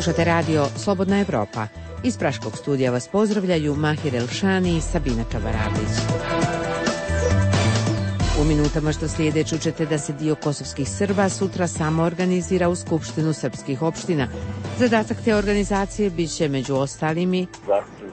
Slušate radio Slobodna Evropa. Iz Praškog studija vas pozdravljaju Mahir Elšani i Sabina Čavarabić. U minutama što slijede čućete da se dio kosovskih Srba sutra samo organizira u Skupštinu srpskih opština. Zadatak te organizacije bit će među ostalim i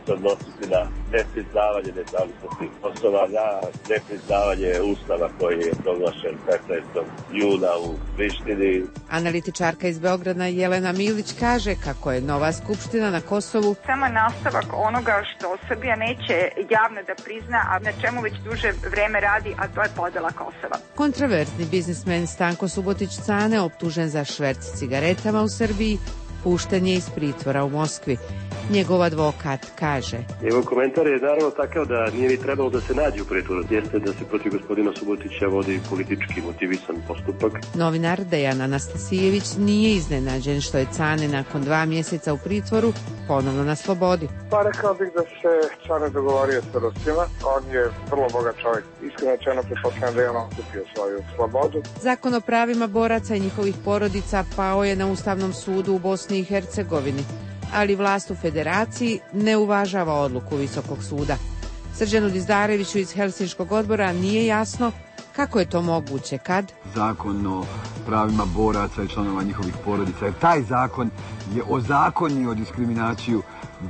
se odnositi na nepriznavanje nezavisnosti Kosova, na nepriznavanje Ustava koji je proglašen 15. juna u Prištini. Analitičarka iz Beograda Jelena Milić kaže kako je nova skupština na Kosovu samo nastavak onoga što Srbija neće javno da prizna, a na čemu već duže vreme radi, a to je podela Kosova. Kontroverzni biznismen Stanko Subotić-Cane, optužen za šverc cigaretama u Srbiji, pušten je iz pritvora u Moskvi. Njegov advokat kaže: Njegov komentar je naravno takav da nije ni trebalo da se nađe u pritvoru. Jeste da se protiv gospodina Subotića vodi politički motivisan postupak. Novinar Dejan Anastasijević nije iznenađen što je Cane nakon 2 mjeseca u pritvoru ponovno na slobodi. Pa rekao bih da se Cane dogovorio sa Rusima. On je vrlo bogat čovjek. Iskreno rečeno pretpostavljam da je on kupio svoju slobodu. Zakon o pravima boraca i njihovih porodica pao je na Ustavnom sudu u Bosni i Hercegovini, ali vlast u federaciji ne uvažava odluku Visokog suda. Srđanu Dizdareviću iz Helsinškog odbora nije jasno kako je to moguće kad Zakon o pravima boraca i članova njihovih porodica, jer taj zakon je ozakonio diskriminaciju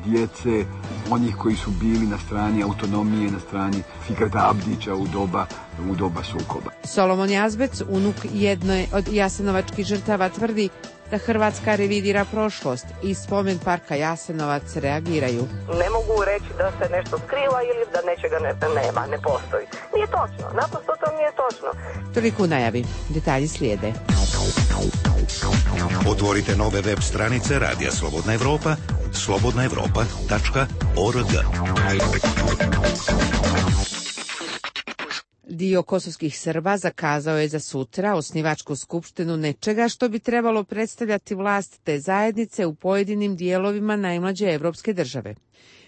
djece, onih koji su bili na strani autonomije, na strani Fikreta Abdića u doba sukoba. Solomon Jazbec, unuk jedne od jasenovačkih žrtava, tvrdi da Hrvatska revidira prošlost i spomen parka Jasenovac reagiraju. Ne mogu reći da se nešto skriva ili da nečega nema, ne postoji. Nije točno, naprosto to nije točno. Toliko u najavi, detalji slijede. Otvorite nove web stranice Radija Slobodna Evropa, slobodnaevropa.org. Dio kosovskih Srba zakazao je za sutra osnivačku skupštinu nečega što bi trebalo predstavljati vlast te zajednice u pojedinim dijelovima najmlađe evropske države.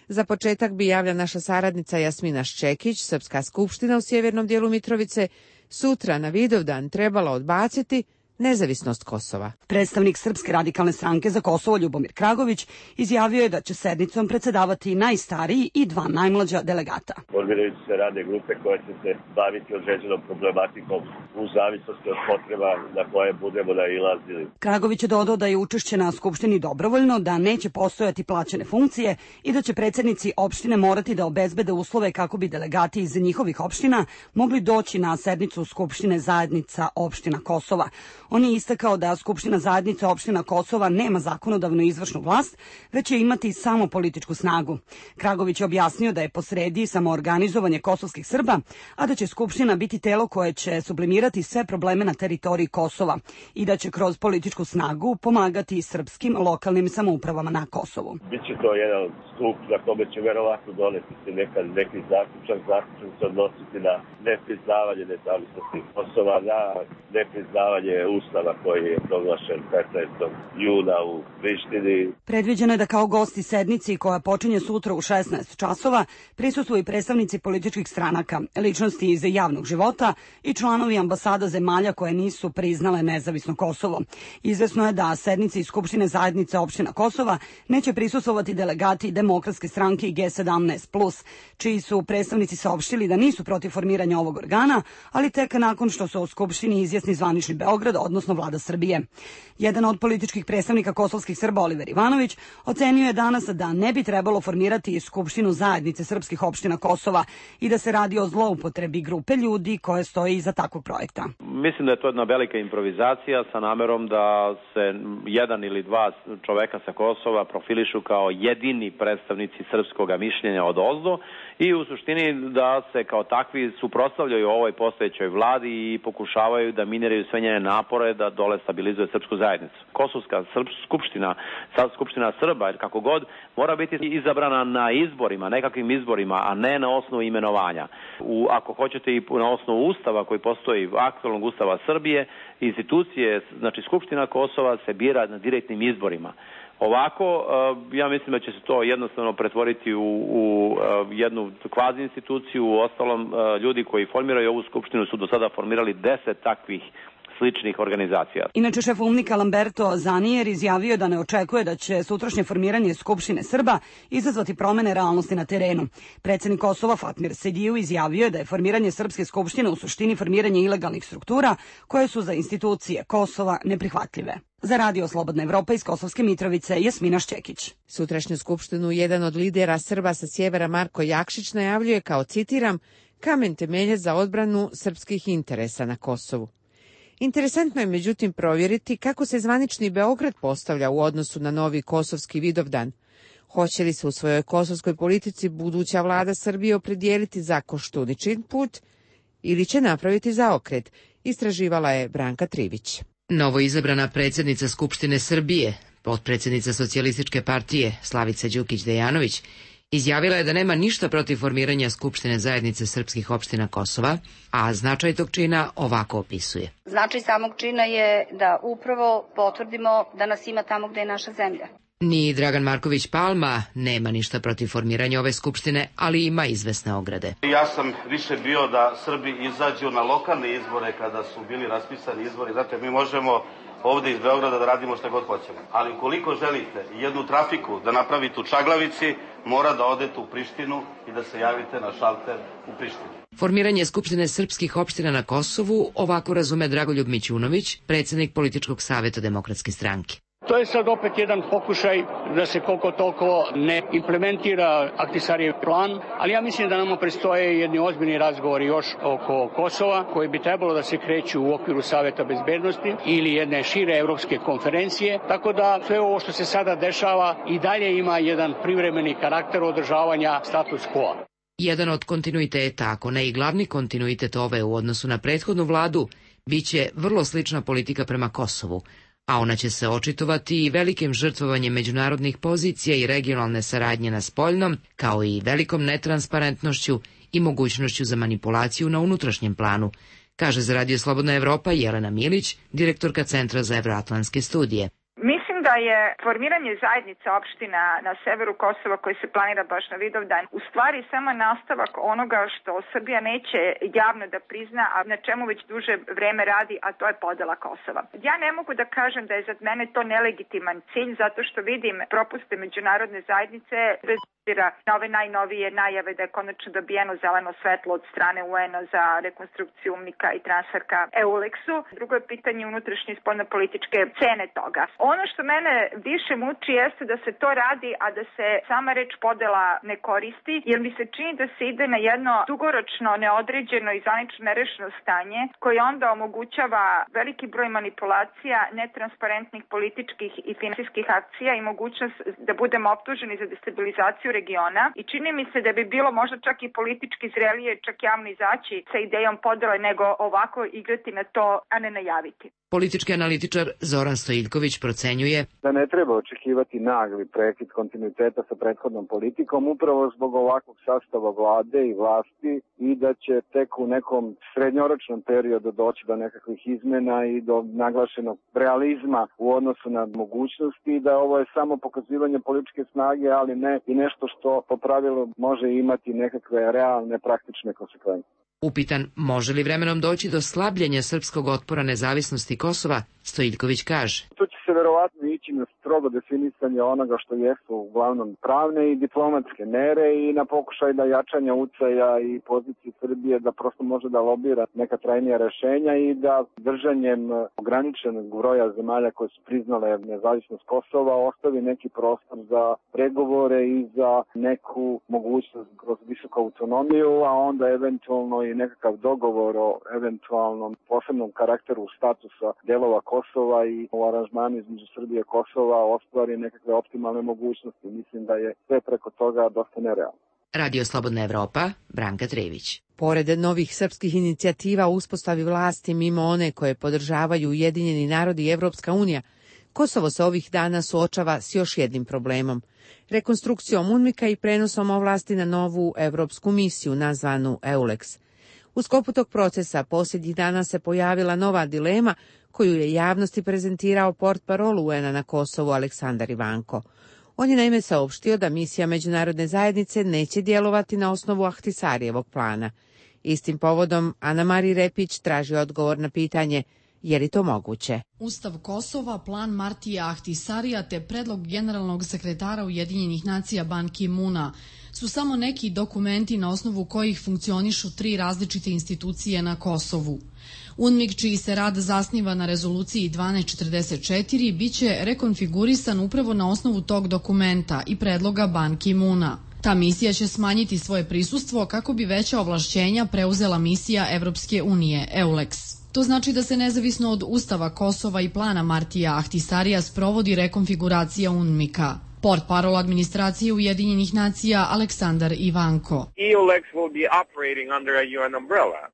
Za početak bi, javlja naša saradnica Jasmina Ščekić, Srpska skupština u sjevernom dijelu Mitrovice sutra na Vidovdan trebala odbaciti nezavisnost Kosova. Predstavnik Srpske radikalne stranke za Kosovo Ljubomir Kragović izjavio je da će sednicom predsedavati najstariji i 2 najmlađa delegata. Formiraju se radne grupe koje će se baviti određenom problematikom u zavisnosti od potreba na koje budemo nailazili. Kragović je dodao da je učešće na skupštini dobrovoljno, da neće postojati plaćene funkcije i da će predsjednici opštine morati da obezbede uslove kako bi delegati iz njihovih opština mogli doći na sednicu Skupštine zajednica opština Kosova. On je istakao da Skupština zajednica opština Kosova nema zakonodavnu izvršnu vlast, već će imati samo političku snagu. Kragović je objasnio da je posredi samoorganizovanje kosovskih Srba, a da će Skupština biti telo koje će sublimirati sve probleme na teritoriji Kosova i da će kroz političku snagu pomagati srpskim lokalnim samoupravama na Kosovu. Biće to jedan stup na kome će verovatno doneti se neki zaključak se odnositi na nepriznavanje nezavisnosti Kosova, na nepriznavanje Ustava koji je proglašen 15. juna u Prištini. Predviđeno je da kao gosti sednici koja počinje sutra u 16 časova prisustvuju i predstavnici političkih stranaka, ličnosti iz javnog života i članovi ambasada zemalja koje nisu priznale nezavisno Kosovo. Izvesno je da sednici Skupštine zajednice opština Kosova neće prisustvovati delegati Demokratske stranke i G17+, čiji su predstavnici saopštili da nisu protiv formiranja ovog organa, ali tek nakon što se u Skupštini izjasni zvanični Beograd, odnosno vlada Srbije. Jedan od političkih predstavnika kosovskih Srba, Oliver Ivanović, ocenio je danas da ne bi trebalo formirati Skupštinu zajednice srpskih opština Kosova i da se radi o zloupotrebi grupe ljudi koje stoji iza takvog projekta. Mislim da je to jedna velika improvizacija sa namerom da se 1 ili 2 čoveka sa Kosova profilišu kao jedini predstavnici srpskog mišljenja od ozdo i u suštini da se kao takvi suprotstavljaju ovoj postojećoj vladi i pokušavaju da miniraju sve njene napore da dole stabilizuje srpsku zajednicu. Kosovska skupština Srba, jer kako god, mora biti izabrana na izborima, nekakvim izborima, a ne na osnovu imenovanja. Ako hoćete i na osnovu ustava koji postoji, aktualnog ustava Srbije, institucije, znači Skupština Kosova se bira na direktnim izborima. Ovako, ja mislim da će se to jednostavno pretvoriti u jednu kvazi instituciju. U ostalom, ljudi koji formiraju ovu skupštinu su do sada formirali 10 takvih sličnih organizacija. Inače, šef UNMIK-a Lamberto Zanier izjavio da ne očekuje da će sutrašnje formiranje Skupštine Srba izazvati promene realnosti na terenu. Predsjednik Kosova Fatmir Sediju izjavio je da je formiranje Srpske skupštine u suštini formiranje ilegalnih struktura koje su za institucije Kosova neprihvatljive. Za Radio Slobodna Evropa iz Kosovske Mitrovice, Jasmina Šćekić. Sutrašnju skupštinu jedan od lidera Srba sa sjevera Marko Jakšić najavljuje kao, citiram, kamen temeljac za odbranu srpskih interesa na Kosovu. Interesantno je međutim provjeriti kako se zvanični Beograd postavlja u odnosu na novi kosovski Vidovdan. Hoće li se u svojoj kosovskoj politici buduća vlada Srbije opredijeliti za Koštuničin put ili će napraviti zaokret, istraživala je Branka Trivić. Novoizabrana predsjednica Skupštine Srbije, potpredsjednica Socijalističke partije Slavica Đukić-Dejanović, izjavila je da nema ništa protiv formiranja Skupštine zajednice srpskih opština Kosova, a značaj tog čina ovako opisuje. Značaj samog čina je da upravo potvrdimo da nas ima tamo gde je naša zemlja. Ni Dragan Marković Palma nema ništa protiv formiranja ove skupštine, ali ima izvesne ograde. Ja sam više bio da Srbi izađu na lokalne izbore kada su bili raspisani izbori, zato mi možemo ovde iz Beograda da radimo šta god hoćemo. Ali ukoliko želite jednu trafiku da napravite u Čaglavici, mora da odete u Prištinu i da se javite na šalter u Prištini. Formiranje Skupštine srpskih opština na Kosovu ovako razume Dragoljub Mićunović, predsjednik Političkog saveta Demokratske stranke. To je sad opet jedan pokušaj da se koliko toliko ne implementira Ahtisarijev plan, ali ja mislim da nama predstoje jedni ozbiljni razgovori još oko Kosova, koji bi trebalo da se kreću u okviru Saveta bezbednosti ili jedne šire evropske konferencije, tako da sve ovo što se sada dešava i dalje ima jedan privremeni karakter održavanja status quo. Jedan od kontinuiteta, ako ne i glavni kontinuitet ove u odnosu na prethodnu vladu, biće vrlo slična politika prema Kosovu, a ona će se očitovati i velikim žrtvovanjem međunarodnih pozicija i regionalne saradnje na spoljnom, kao i velikom netransparentnošću i mogućnošću za manipulaciju na unutrašnjem planu, kaže za Radio Slobodna Evropa Jelena Milić, direktorka Centra za evroatlantske studije. Mislim da je formiranje zajednica opština na severu Kosova koji se planira baš na Vidovdan u stvari samo nastavak onoga što Srbija neće javno da prizna, a na čemu već duže vreme radi, a to je podela Kosova. Ja ne mogu da kažem da je za mene to nelegitiman cilj, zato što vidim propuste međunarodne zajednice bez na ove najnovije najave da je konačno dobijeno zeleno svetlo od strane UN-a za rekonstrukciju UNMIK-a i transferka EULEX-u. Drugo je pitanje unutrašnje i spoljnopolitičke cene toga. Ono što mene više muči jeste da se to radi, a da se sama reč podela ne koristi, jer mi se čini da se ide na jedno dugoročno, neodređeno i zvanično nerešeno stanje, koje onda omogućava veliki broj manipulacija, netransparentnih političkih i finansijskih akcija i mogućnost da budemo optuženi za destabilizaciju regiona i čini mi se da bi bilo možda čak i politički zrelije čak javno izaći sa idejom podele nego ovako igrati na to, a ne najaviti. Politički analitičar Zoran Stojiljković procenjuje da ne treba očekivati nagli prekid kontinuiteta sa prethodnom politikom upravo zbog ovakvog sastava vlade i vlasti i da će tek u nekom srednjoročnom periodu doći do nekakvih izmena i do naglašenog realizma u odnosu na mogućnosti i da ovo je samo pokazivanje političke snage, ali ne i nešto što po pravilu može imati nekakve realne praktične konsekvence. Upitan može li vremenom doći do slabljenja srpskog otpora nezavisnosti Kosova, Stojiljković kaže. Tu će se verovatno ići na strogo definisanje onoga što jesu uglavnom pravne i diplomatske mere i na pokušaj da jačanja ucaja i pozicije Srbije da prosto može da lobira neka trajnija rešenja i da držanjem ograničenog broja zemalja koje su priznale nezavisnost Kosova ostavi neki prostor za pregovore i za neku mogućnost kroz visoku autonomiju, a onda eventualno i nekakav dogovor o eventualnom posebnom karakteru statusa delova Kosova i u aranžmanu između Srbije i Kosova ostvari nekakve optimalne mogućnosti. Mislim da je sve preko toga dosta nerealno. Radio Slobodna Evropa, Branka Trević. Pored novih srpskih inicijativa o uspostavi vlasti mimo one koje podržavaju Ujedinjeni narodi i Evropska unija, Kosovo se ovih dana suočava s još jednim problemom. Rekonstrukcijom UNMIK-a i prenosom ovlasti na novu evropsku misiju nazvanu EULEX. U sklopu tog procesa posljednjih dana se pojavila nova dilema koju je javnosti prezentirao portparol UN-a na Kosovu Aleksandar Ivanko. On je naime saopštio da misija međunarodne zajednice neće djelovati na osnovu Ahtisarijevog plana. Istim povodom Ana Mari Repić traži odgovor na pitanje Je li to moguće? Ustav Kosova, plan Martija Ahtisarija te predlog generalnog sekretara Ujedinjenih nacija Ban Ki-muna su samo neki dokumenti na osnovu kojih funkcionišu 3 različite institucije na Kosovu. UNMIK, čiji se rad zasniva na rezoluciji 1244, biće rekonfigurisan upravo na osnovu tog dokumenta i predloga Ban Ki-muna. Ta misija će smanjiti svoje prisustvo kako bi veća ovlašćenja preuzela misija Evropske unije, EULEX. To znači da se nezavisno od Ustava Kosova i plana Martija Ahtisarija sprovodi rekonfiguracija UNMIK-a. Portparol administracije Ujedinjenih nacija Aleksandar Ivanko.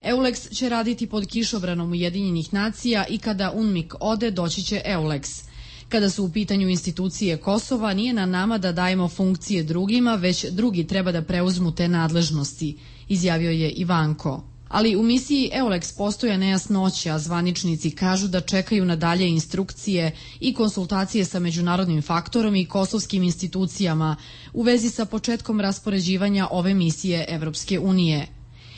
EULEX će raditi pod kišobranom Ujedinjenih nacija i kada UNMIK ode, doći će EULEX. Kada su u pitanju institucije Kosova, nije na nama da dajemo funkcije drugima, već drugi treba da preuzmu te nadležnosti, izjavio je Ivanko. Ali u misiji EULEX postoje nejasnoće, a zvaničnici kažu da čekaju na dalje instrukcije i konsultacije sa međunarodnim faktorom i kosovskim institucijama u vezi sa početkom raspoređivanja ove misije Evropske unije.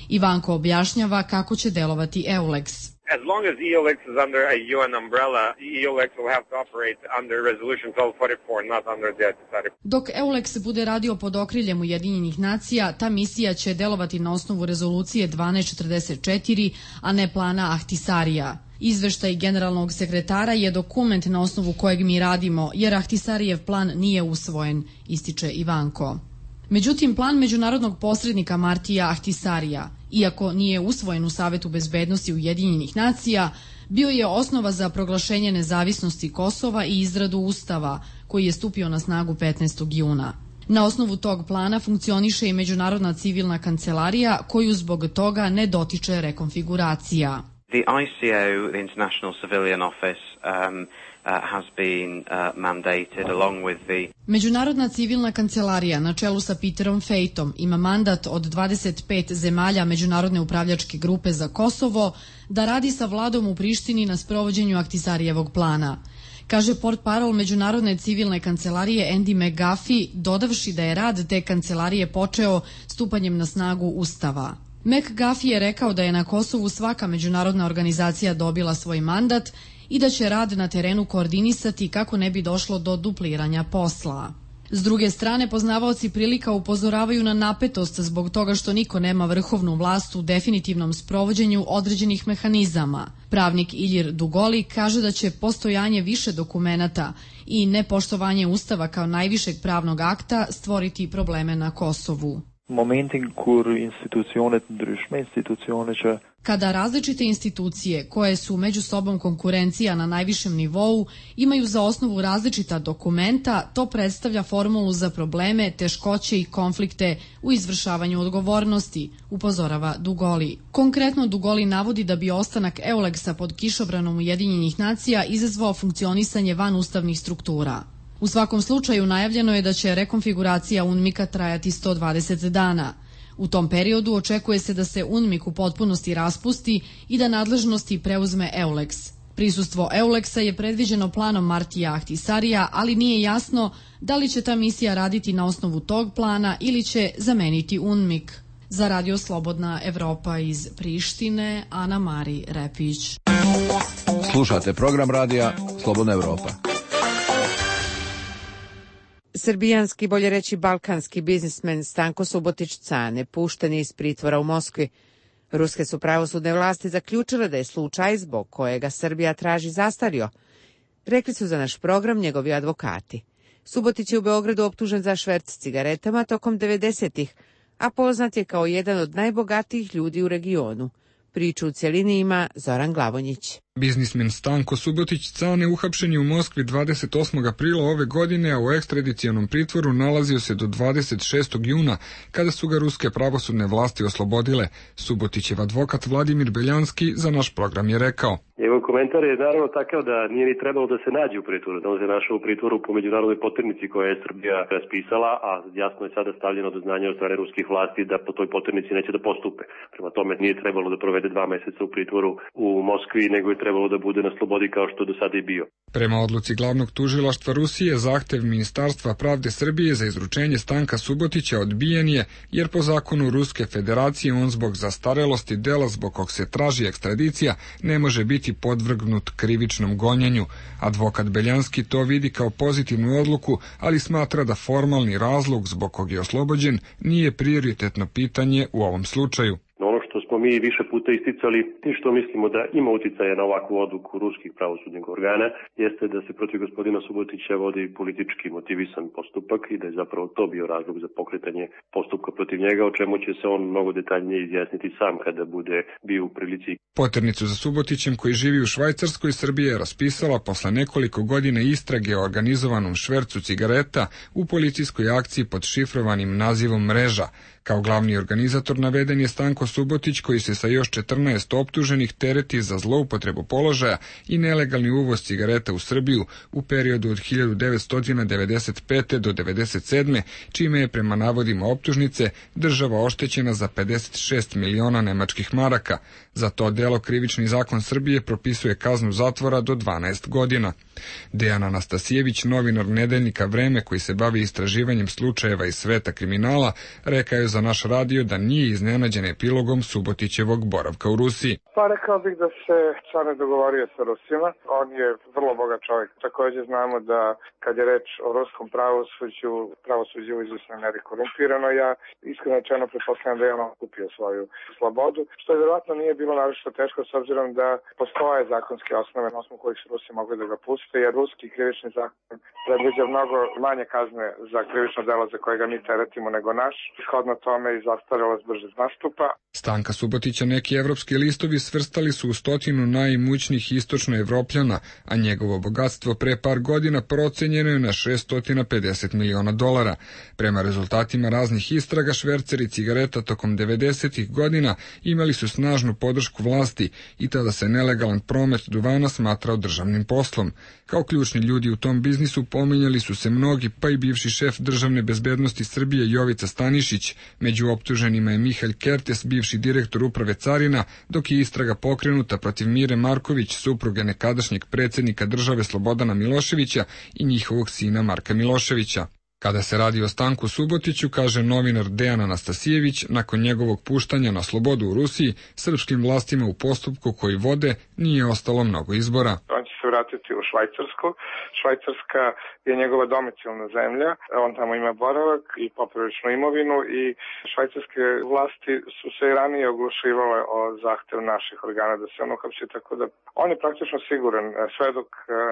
Ivanko objašnjava kako će delovati EULEX. As long as EULEX is under a UN umbrella, EULEX will have to operate under Resolution 1244, not under the Ahtisari. Dok EULEX bude radio pod okriljem Ujedinjenih nacija, ta misija će delovati na osnovu rezolucije 1244, a ne plana Ahtisarija. Izveštaj generalnog sekretara je dokument na osnovu kojeg mi radimo, jer Ahtisarijev plan nije usvojen, ističe Ivanko. Međutim, plan međunarodnog posrednika Martija Ahtisarija, iako nije usvojen u Savetu bezbednosti Ujedinjenih nacija, bio je osnova za proglašenje nezavisnosti Kosova i izradu Ustava, koji je stupio na snagu 15. juna. Na osnovu tog plana funkcioniše i Međunarodna civilna kancelarija, koju zbog toga ne dotiče rekonfiguracija. The ICO, the International Civilian Office, has been mandated along with the... Međunarodna civilna kancelarija na čelu sa Peterom Fejtom ima mandat od 25 zemalja Međunarodne upravljačke grupe za Kosovo da radi sa vladom u Prištini na sprovođenju Ahtisarijevog plana. Kaže portparol Međunarodne civilne kancelarije Andy McGuffey, dodavši da je rad te kancelarije počeo stupanjem na snagu Ustava. McGuffey je rekao da je na Kosovu svaka međunarodna organizacija dobila svoj mandat i da će rad na terenu koordinisati kako ne bi došlo do dupliranja posla. S druge strane, poznavaoci prilika upozoravaju na napetost zbog toga što niko nema vrhovnu vlast u definitivnom sprovođenju određenih mehanizama. Pravnik Ilir Dugoli kaže da će postojanje više dokumenata i nepoštovanje Ustava kao najvišeg pravnog akta stvoriti probleme na Kosovu. Kada različite institucije, koje su među sobom konkurencija na najvišem nivou, imaju za osnovu različita dokumenta, to predstavlja formulu za probleme, teškoće i konflikte u izvršavanju odgovornosti, upozorava Dugoli. Konkretno, Dugoli navodi da bi ostanak EULEX-a pod kišobranom Ujedinjenih nacija izazvao funkcionisanje vanustavnih struktura. U svakom slučaju najavljeno je da će rekonfiguracija UNMIK-a trajati 120 dana. U tom periodu očekuje se da se UNMIK u potpunosti raspusti i da nadležnosti preuzme EULEX. Prisustvo EULEX-a je predviđeno planom Martija Ahtisarija, ali nije jasno da li će ta misija raditi na osnovu tog plana ili će zameniti UNMIK. Za Radio Slobodna Evropa iz Prištine, Ana Mari Repić. Slušate program radija Slobodna Evropa. Srbijanski, bolje reći balkanski biznismen Stanko Subotić-Cane pušten je iz pritvora u Moskvi. Ruske su pravosudne vlasti zaključile da je slučaj zbog kojega Srbija traži zastario. Rekli su za naš program njegovi advokati. Subotić je u Beogradu optužen za šverc cigaretama tokom 90-ih, a poznat je kao jedan od najbogatijih ljudi u regionu. Priču u cjelini ima Zoran Glavonjić. Biznismen Stanko Subotić-Cane uhapšen je u Moskvi 28. aprila ove godine, a u ekstradicionom pritvoru nalazio se do 26. juna, kada su ga ruske pravosudne vlasti oslobodile. Subotićev advokat Vladimir Beljanski za naš program je rekao: Njegov komentar je naravno takav da nije ni trebalo da se nađe u pritvoru, da on se našao u pritvoru po međunarodnoj poternici koje je Srbija raspisala, a jasno je sada stavljeno do znanja od strane ruskih vlasti da po toj poternici neće da postupe. Prema tome nije trebalo da provede 2 meseca u pritvoru u Moskvi, nego je trebalo da bude na slobodi kao što do sada i bio. Prema odluci glavnog tužilaštva Rusije, zahtev Ministarstva pravde Srbije za izručenje Stanka Subotića odbijen je, jer po zakonu Ruske federacije on zbog zastarelosti dela zbog kog se traži ekstradicija ne može biti podvrgnut krivičnom gonjenju. Advokat Beljanski to vidi kao pozitivnu odluku, ali smatra da formalni razlog zbog kog je oslobođen nije prioritetno pitanje u ovom slučaju. Ono što smo mi više puta isticali i što mislimo da ima uticaja na ovakvu odluku ruskih pravosudnih organa jeste da se protiv gospodina Subotića vodi politički motivisan postupak i da je zapravo to bio razlog za pokretanje postupka protiv njega, o čemu će se on mnogo detaljnije izjasniti sam kada bude bio u prilici. Poternicu za Subotićem, koji živi u Švajcarskoj, Srbija je raspisala posle nekoliko godina istrage o organizovanom švercu cigareta u policijskoj akciji pod šifrovanim nazivom Mreža. Kao glavni organizator naveden je Stanko Subotić, koji se sa još 14 optuženih tereti za zloupotrebu položaja i nelegalni uvoz cigareta u Srbiju u periodu od 1995. do 1997. čime je prema navodima optužnice država oštećena za 56 miliona nemačkih maraka. Za to delo krivični zakon Srbije propisuje kaznu zatvora do 12 godina. Dejan Anastasijević, novinar nedeljnika Vreme koji se bavi istraživanjem slučajeva iz sveta kriminala, rekao je za naš radio da nije iznenađen epilogom Subotićevog boravka u Rusiji. Pa rekao bih da se stvarno dogovorio sa Rusima. On je vrlo bogat čovjek. Također znamo da kad je reč o ruskom pravosuđu u izvjesnoj meri korumpirano. Ja iskreno rečeno pretpostavljam da je on kupio svoju slobodu, što je vjerojatno nije bilo naročito teško s obzirom da postoje zakonske osnove na osnovu kojih su Rusi mogli da ga puste, jer ruski krivični zakon predviđa mnogo manje kazne za krivično delo za koje ga mi teretimo nego naš. Shodno tome i zastarelost brže nastupa. Stanka Subotića neki evropski listovi svrstali su u 100 najimućnijih istočnoevropljana, a njegovo bogatstvo pre par godina procenjeno je na $650 miliona. Prema rezultatima raznih istraga, šverceri cigareta tokom 90-ih godina imali su snažnu podršku vlasti i tada se nelegalan promet duvana smatrao državnim poslom. Kao ključni ljudi u tom biznisu pominjali su se mnogi, pa i bivši šef državne bezbednosti Srbije Jovica Stanišić. Među optuženima je Mihalj Kertes, bivši direktor uprave carina, dok je istraga pokrenuta protiv Mire Marković, supruge nekadašnjeg predsjednika države Slobodana Miloševića i njihovog sina Marka Miloševića. Kada se radi o Stanku Subotiću, kaže novinar Dejan Anastasijević, nakon njegovog puštanja na slobodu u Rusiji, srpskim vlastima u postupku koji vode nije ostalo mnogo izbora. On će se vratiti u Švajcarsku. Švajcarska je njegova domicilna zemlja. On tamo ima boravak i popriličnu imovinu i švajcarske vlasti su se i ranije oglušivale o zahtev naših organa da se on uhapsi, tako da on je praktično siguran sve dok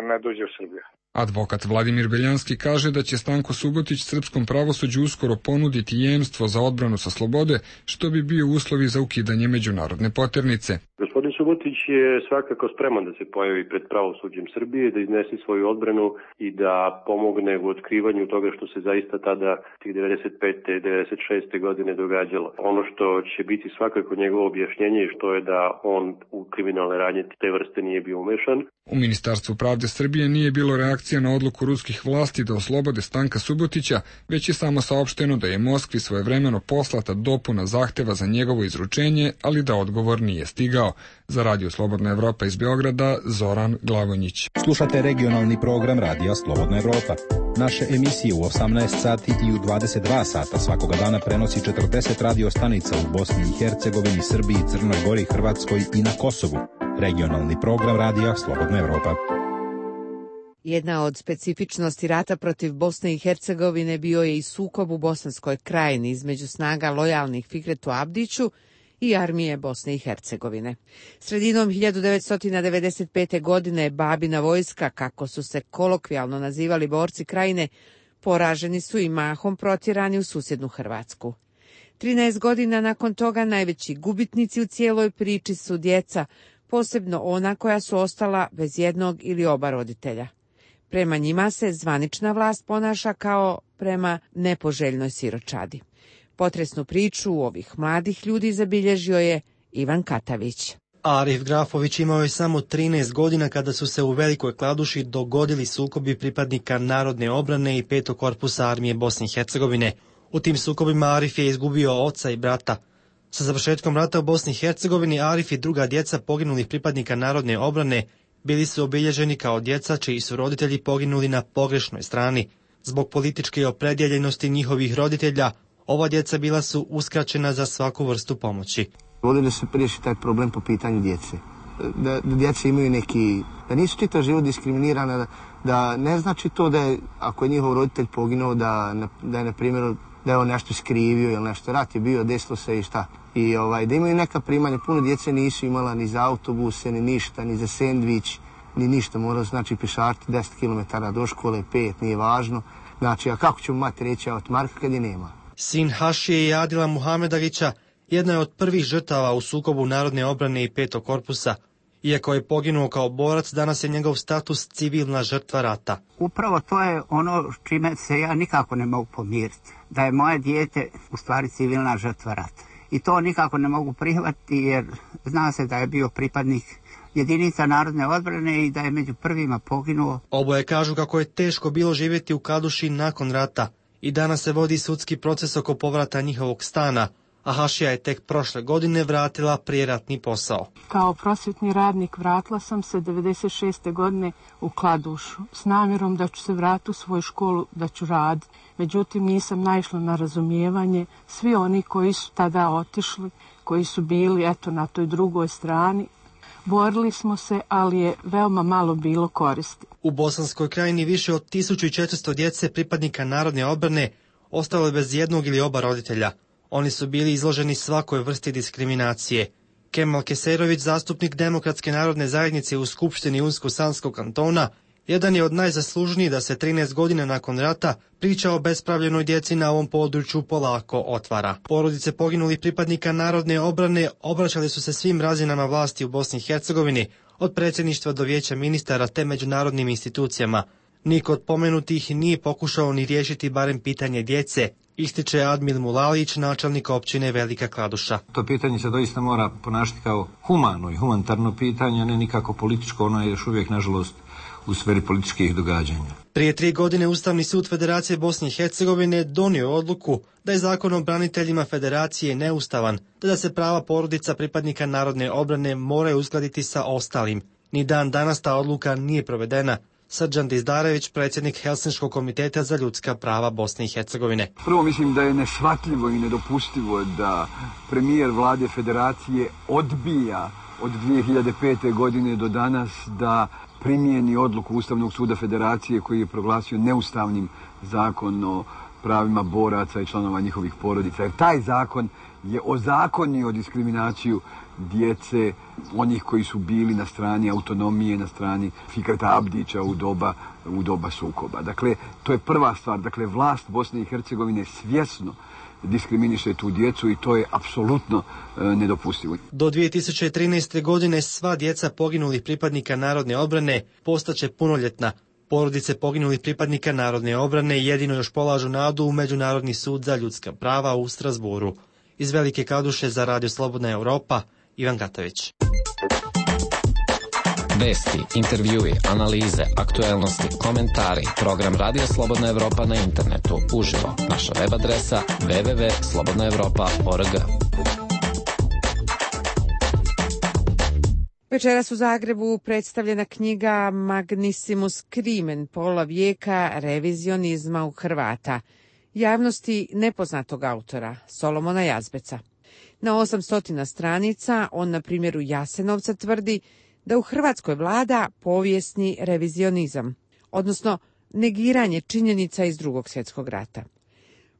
ne dođe u Srbiju. Advokat Vladimir Beljanski kaže da će Stanko Subotić srpskom pravosuđu uskoro ponuditi jemstvo za odbranu sa slobode, što bi bio uslovi za ukidanje međunarodne poternice. Gospodin Subotić je svakako spreman da se pojavi pred pravosuđem Srbije, da iznese svoju odbranu i da pomogne u otkrivanju toga što se zaista tada tih 95. i 96. godine događalo. Ono što će biti svakako njegovo objašnjenje je što je da on u kriminalne radnje te vrste nije bio umešan. U Ministarstvu pravde Srbije nije bilo reakcija na odluku ruskih vlasti da oslobode Stanka Subotića, već je samo saopšteno da je Moskvi svojevremeno poslata dopuna zahteva za njegovo izručenje, ali da odgovor nije stigao. Za Radio Slobodna Evropa iz Beograda, Zoran Glavonjić. Slušate regionalni program Radija Slobodna Evropa. Naše emisije u 18 sati i u 22 sata svakoga dana prenosi 40 radio stanica u Bosni i Hercegovini, Srbiji, Crnoj Gori, Hrvatskoj i na Kosovu. Regionalni program Radija Slobodna Evropa. Jedna od specifičnosti rata protiv Bosne i Hercegovine bio je i sukob u Bosanskoj krajini između snaga lojalnih Fikretu Abdiću i armije Bosne i Hercegovine. Sredinom 1995. godine Babina vojska, kako su se kolokvijalno nazivali borci krajine, poraženi su i mahom protjerani u susjednu Hrvatsku. 13 godina nakon toga najveći gubitnici u cijeloj priči su djeca, posebno ona koja su ostala bez jednog ili oba roditelja. Prema njima se zvanična vlast ponaša kao prema nepoželjnoj siročadi. Potresnu priču ovih mladih ljudi zabilježio je Ivan Katavić. Arif Grafović imao je samo 13 godina kada su se u Velikoj Kladuši dogodili sukobi pripadnika Narodne obrane i 5. korpusa armije Bosne i Hercegovine. U tim sukobima Arif je izgubio oca i brata. Sa završetkom rata u Bosni i Hercegovini, Arif i druga djeca poginulih pripadnika narodne obrane bili su obilježeni kao djeca čiji su roditelji poginuli na pogrešnoj strani. Zbog političke opredjeljenosti njihovih roditelja, ova djeca bila su uskraćena za svaku vrstu pomoći. Vodili su riješiti taj problem po pitanju djece. Da djeca imaju neki, da nisu čitav život diskriminirana, da ne znači to da je, ako je njihov roditelj poginuo, da je, na primjer, da je on nešto skrivio ili nešto. Rat je bio, desilo se i šta. I da imaju neka primanja. Puno djece nisu imala ni za autobuse, ni ništa, ni za sendvič, ni ništa. Morao znači pešariti 10 km do škole, 5, nije važno. Znači, a kako ćemo mati reći od Marka kad je nema? Sin Hašije i Adila Muhamedagića jedna je od prvih žrtava u sukobu narodne obrane i 5. korpusa. Iako je poginuo kao borac, danas je njegov status civilna žrtva rata. Upravo to je ono čime se ja nikako ne mogu pomiriti. Da je moje dijete u stvari civilna žrtva rata. I to nikako ne mogu prihvatiti jer zna se da je bio pripadnik jedinica narodne odbrane i da je među prvima poginuo. Oboje kažu kako je teško bilo živjeti u Kladuši nakon rata i danas se vodi sudski proces oko povrata njihovog stana, a Hašija je tek prošle godine vratila prijeratni posao. Kao prosvjetni radnik vratila sam se 96. godine u Kladušu s namjerom da ću se vratiti u svoju školu, da ću raditi. Međutim, nisam naišla na razumijevanje. Svi oni koji su tada otišli, koji su bili na toj drugoj strani, borili smo se, ali je veoma malo bilo koristi. U Bosanskoj krajini više od 1400 djece pripadnika narodne odbrane ostalo je bez jednog ili oba roditelja. Oni su bili izloženi svakoj vrsti diskriminacije. Kemal Keserović, zastupnik Demokratske narodne zajednice u Skupštini Unsko-Sanskog kantona, jedan je od najzaslužnijih da se 13 godina nakon rata priča o bespravljenoj djeci na ovom području polako otvara. Porodice poginulih pripadnika narodne obrane obraćali su se svim razinama vlasti u Bosni i Hercegovini, od predsjedništva do vijeća ministara te međunarodnim institucijama. Niko od pomenutih nije pokušao ni riješiti barem pitanje djece, ističe Admil Mulalić, načelnik općine Velika Kladuša. To pitanje se doista mora ponašati kao humano i humanitarno pitanje, a ne nikako političko, ono je još uvijek, nažalost, u sferi političkih događanja. Prije 3 godine Ustavni sud Federacije Bosne i Hercegovine donio odluku da je zakon o braniteljima Federacije neustavan, te da se prava porodica pripadnika narodne obrane moraju uskladiti sa ostalim. Ni dan danas ta odluka nije provedena. Srđan Dizdarević, predsjednik Helsinškog komiteta za ljudska prava Bosne i Hercegovine. Prvo mislim da je neshvatljivo i nedopustivo da premijer vlade Federacije odbija od 2005. godine do danas da primijeni odluku Ustavnog suda Federacije koji je proglasio neustavnim zakon o pravima boraca i članova njihovih porodica. Jer taj zakon je ozakonio diskriminaciju djece, onih koji su bili na strani autonomije, na strani Fikreta Abdića u doba sukoba. Dakle, to je prva stvar. Dakle, vlast Bosne i Hercegovine svjesno diskriminiše tu djecu i to je apsolutno nedopustivo. Do 2013. godine sva djeca poginulih pripadnika narodne odbrane postaće punoljetna. Porodice poginulih pripadnika narodne odbrane jedino još polažu nadu u Međunarodni sud za ljudska prava u Strasburu. Iz Velike Kladuše za Radio Slobodna Europa, Ivan Gatović. Vesti, intervjui, analize, aktuelnosti, komentari, program Radio Slobodna Evropa na internetu, uživo. Naša web adresa www.slobodnaevropa.org. Večeras u Zagrebu predstavljena knjiga Magnissimus Crimen, pola vijeka revizionizma u Hrvata, javnosti nepoznatog autora, Solomona Jazbeca. Na 800 stranica on na primjeru Jasenovca tvrdi da u Hrvatskoj vlada povijesni revizionizam, odnosno negiranje činjenica iz Drugog svjetskog rata.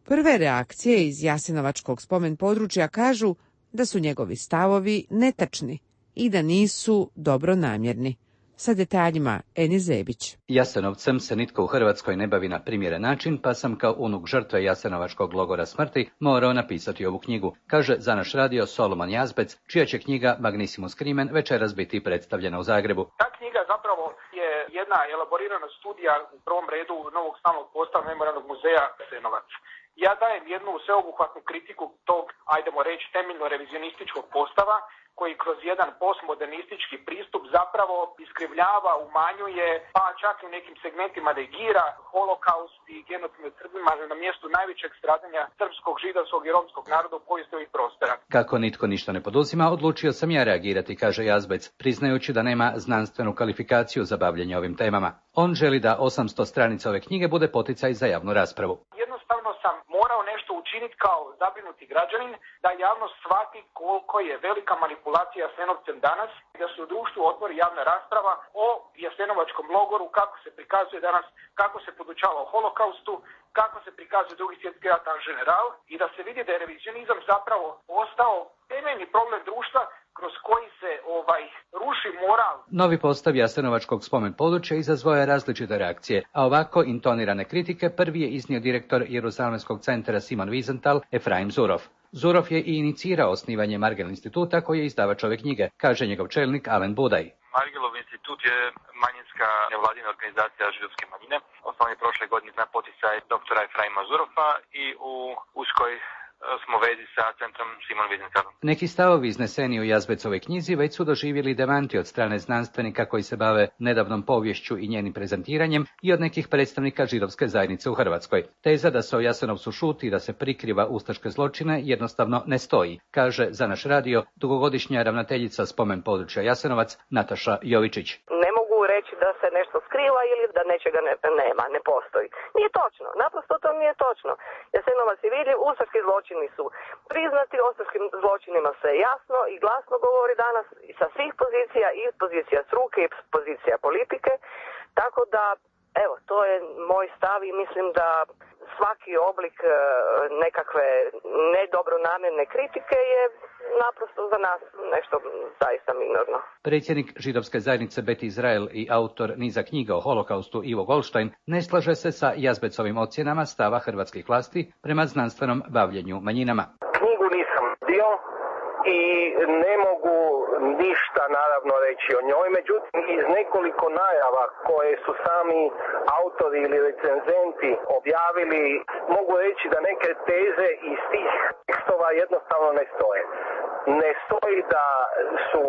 Prve reakcije iz jasenovačkog spomen područja kažu da su njegovi stavovi netačni i da nisu dobronamjerni. Sa detaljima Eni Zebić. Jasenovcem se nitko u Hrvatskoj ne bavi na primjeren način, pa sam kao unuk žrtve Jasenovačkog logora smrti morao napisati ovu knjigu, kaže za naš radio Solomon Jazbec, čija će knjiga Magnissimus Crimen večeras biti predstavljena u Zagrebu. Ta knjiga zapravo je jedna elaborirana studija u prvom redu novog stalnog postava Memorijalnog muzeja Jasenovac. Ja dajem jednu sveobuhvatnu kritiku tog, ajdemo reći, temeljno revizionističkog postava, koji kroz jedan postmodernistički pristup zapravo iskrivljava, umanjuje, pa čak i u nekim segmentima negira holokaust i genocid nad Srbima na mjestu najvećeg stradanja srpskog, židovskog i romskog naroda u povijesti ovih prostora. Kako nitko ništa ne poduzima, odlučio sam ja reagirati, kaže Jazbec, priznajući da nema znanstvenu kvalifikaciju za bavljenje ovim temama. On želi da 800 stranica ove knjige bude poticaj za javnu raspravu. Jednostavno sam morao nešto učiniti kao zabrinuti građanin, da javnost shvati koliko je velika manipulacija Jasenovcem danas, da se u društvu otvori javna rasprava o jasenovačkom logoru, kako se prikazuje danas, kako se podučava o holokaustu, kako se prikazuje Drugi svjetski rat en general, i da se vidi da je revizionizam zapravo ostao temeljni problem društva kroz koji se ruši moral. Novi postav jasenovačkog spomen područja izazvao je različite reakcije, a ovako intonirane kritike prvi je iznio direktor Jeruzalemskog centra Simon Wiesenthal, Efraim Zurov. Zurov je i inicirao osnivanje Margel instituta koji je izdavač ove knjige, kaže njegov čelnik Alen Budaj. Margelov institut je manjinska nevladina organizacija židovske manjine. Osnovan je prošle godine na poticaj doktora Efraima Zurova i u uskoj smo vezi sa centrom Simon Wiesenthal. Neki stavovi izneseni u Jazbecovoj knjizi već su doživjeli demanti od strane znanstvenika koji se bave nedavnom poviješću i njenim prezentiranjem i od nekih predstavnika židovske zajednice u Hrvatskoj. Teza da se o Jasenovcu šuti i da se prikriva ustaške zločine jednostavno ne stoji, kaže za naš radio dugogodišnja ravnateljica spomen područja Jasenovac Nataša Jovičić. Ne mogu reći da se nešto skriva ili da nečega nema, ne postoji. Nije točno, naprosto to nije točno. Jasenovac je vidljiv, ustaški zločini su priznati, o ustaškim zločinima se jasno i glasno govori danas sa svih pozicija, i pozicija struke i pozicija politike, tako da, evo, to je moj stav i mislim da svaki oblik nekakve nedobronamjerne kritike je naprosto za nas nešto zaista minorno. Predsjednik židovske zajednice Bet Izrael i autor niza knjiga o holokaustu Ivo Goldstein ne slaže se sa Jazbecovim ocjenama stava hrvatskih vlasti prema znanstvenom bavljenju manjinama. Knjigu nisam dio i ne mogu ništa naravno reći o njoj, međutim iz nekoliko najava koje su sami autori ili recenzenti objavili, mogu reći da neke teze iz tih tekstova jednostavno ne stoje. Ne stoji da su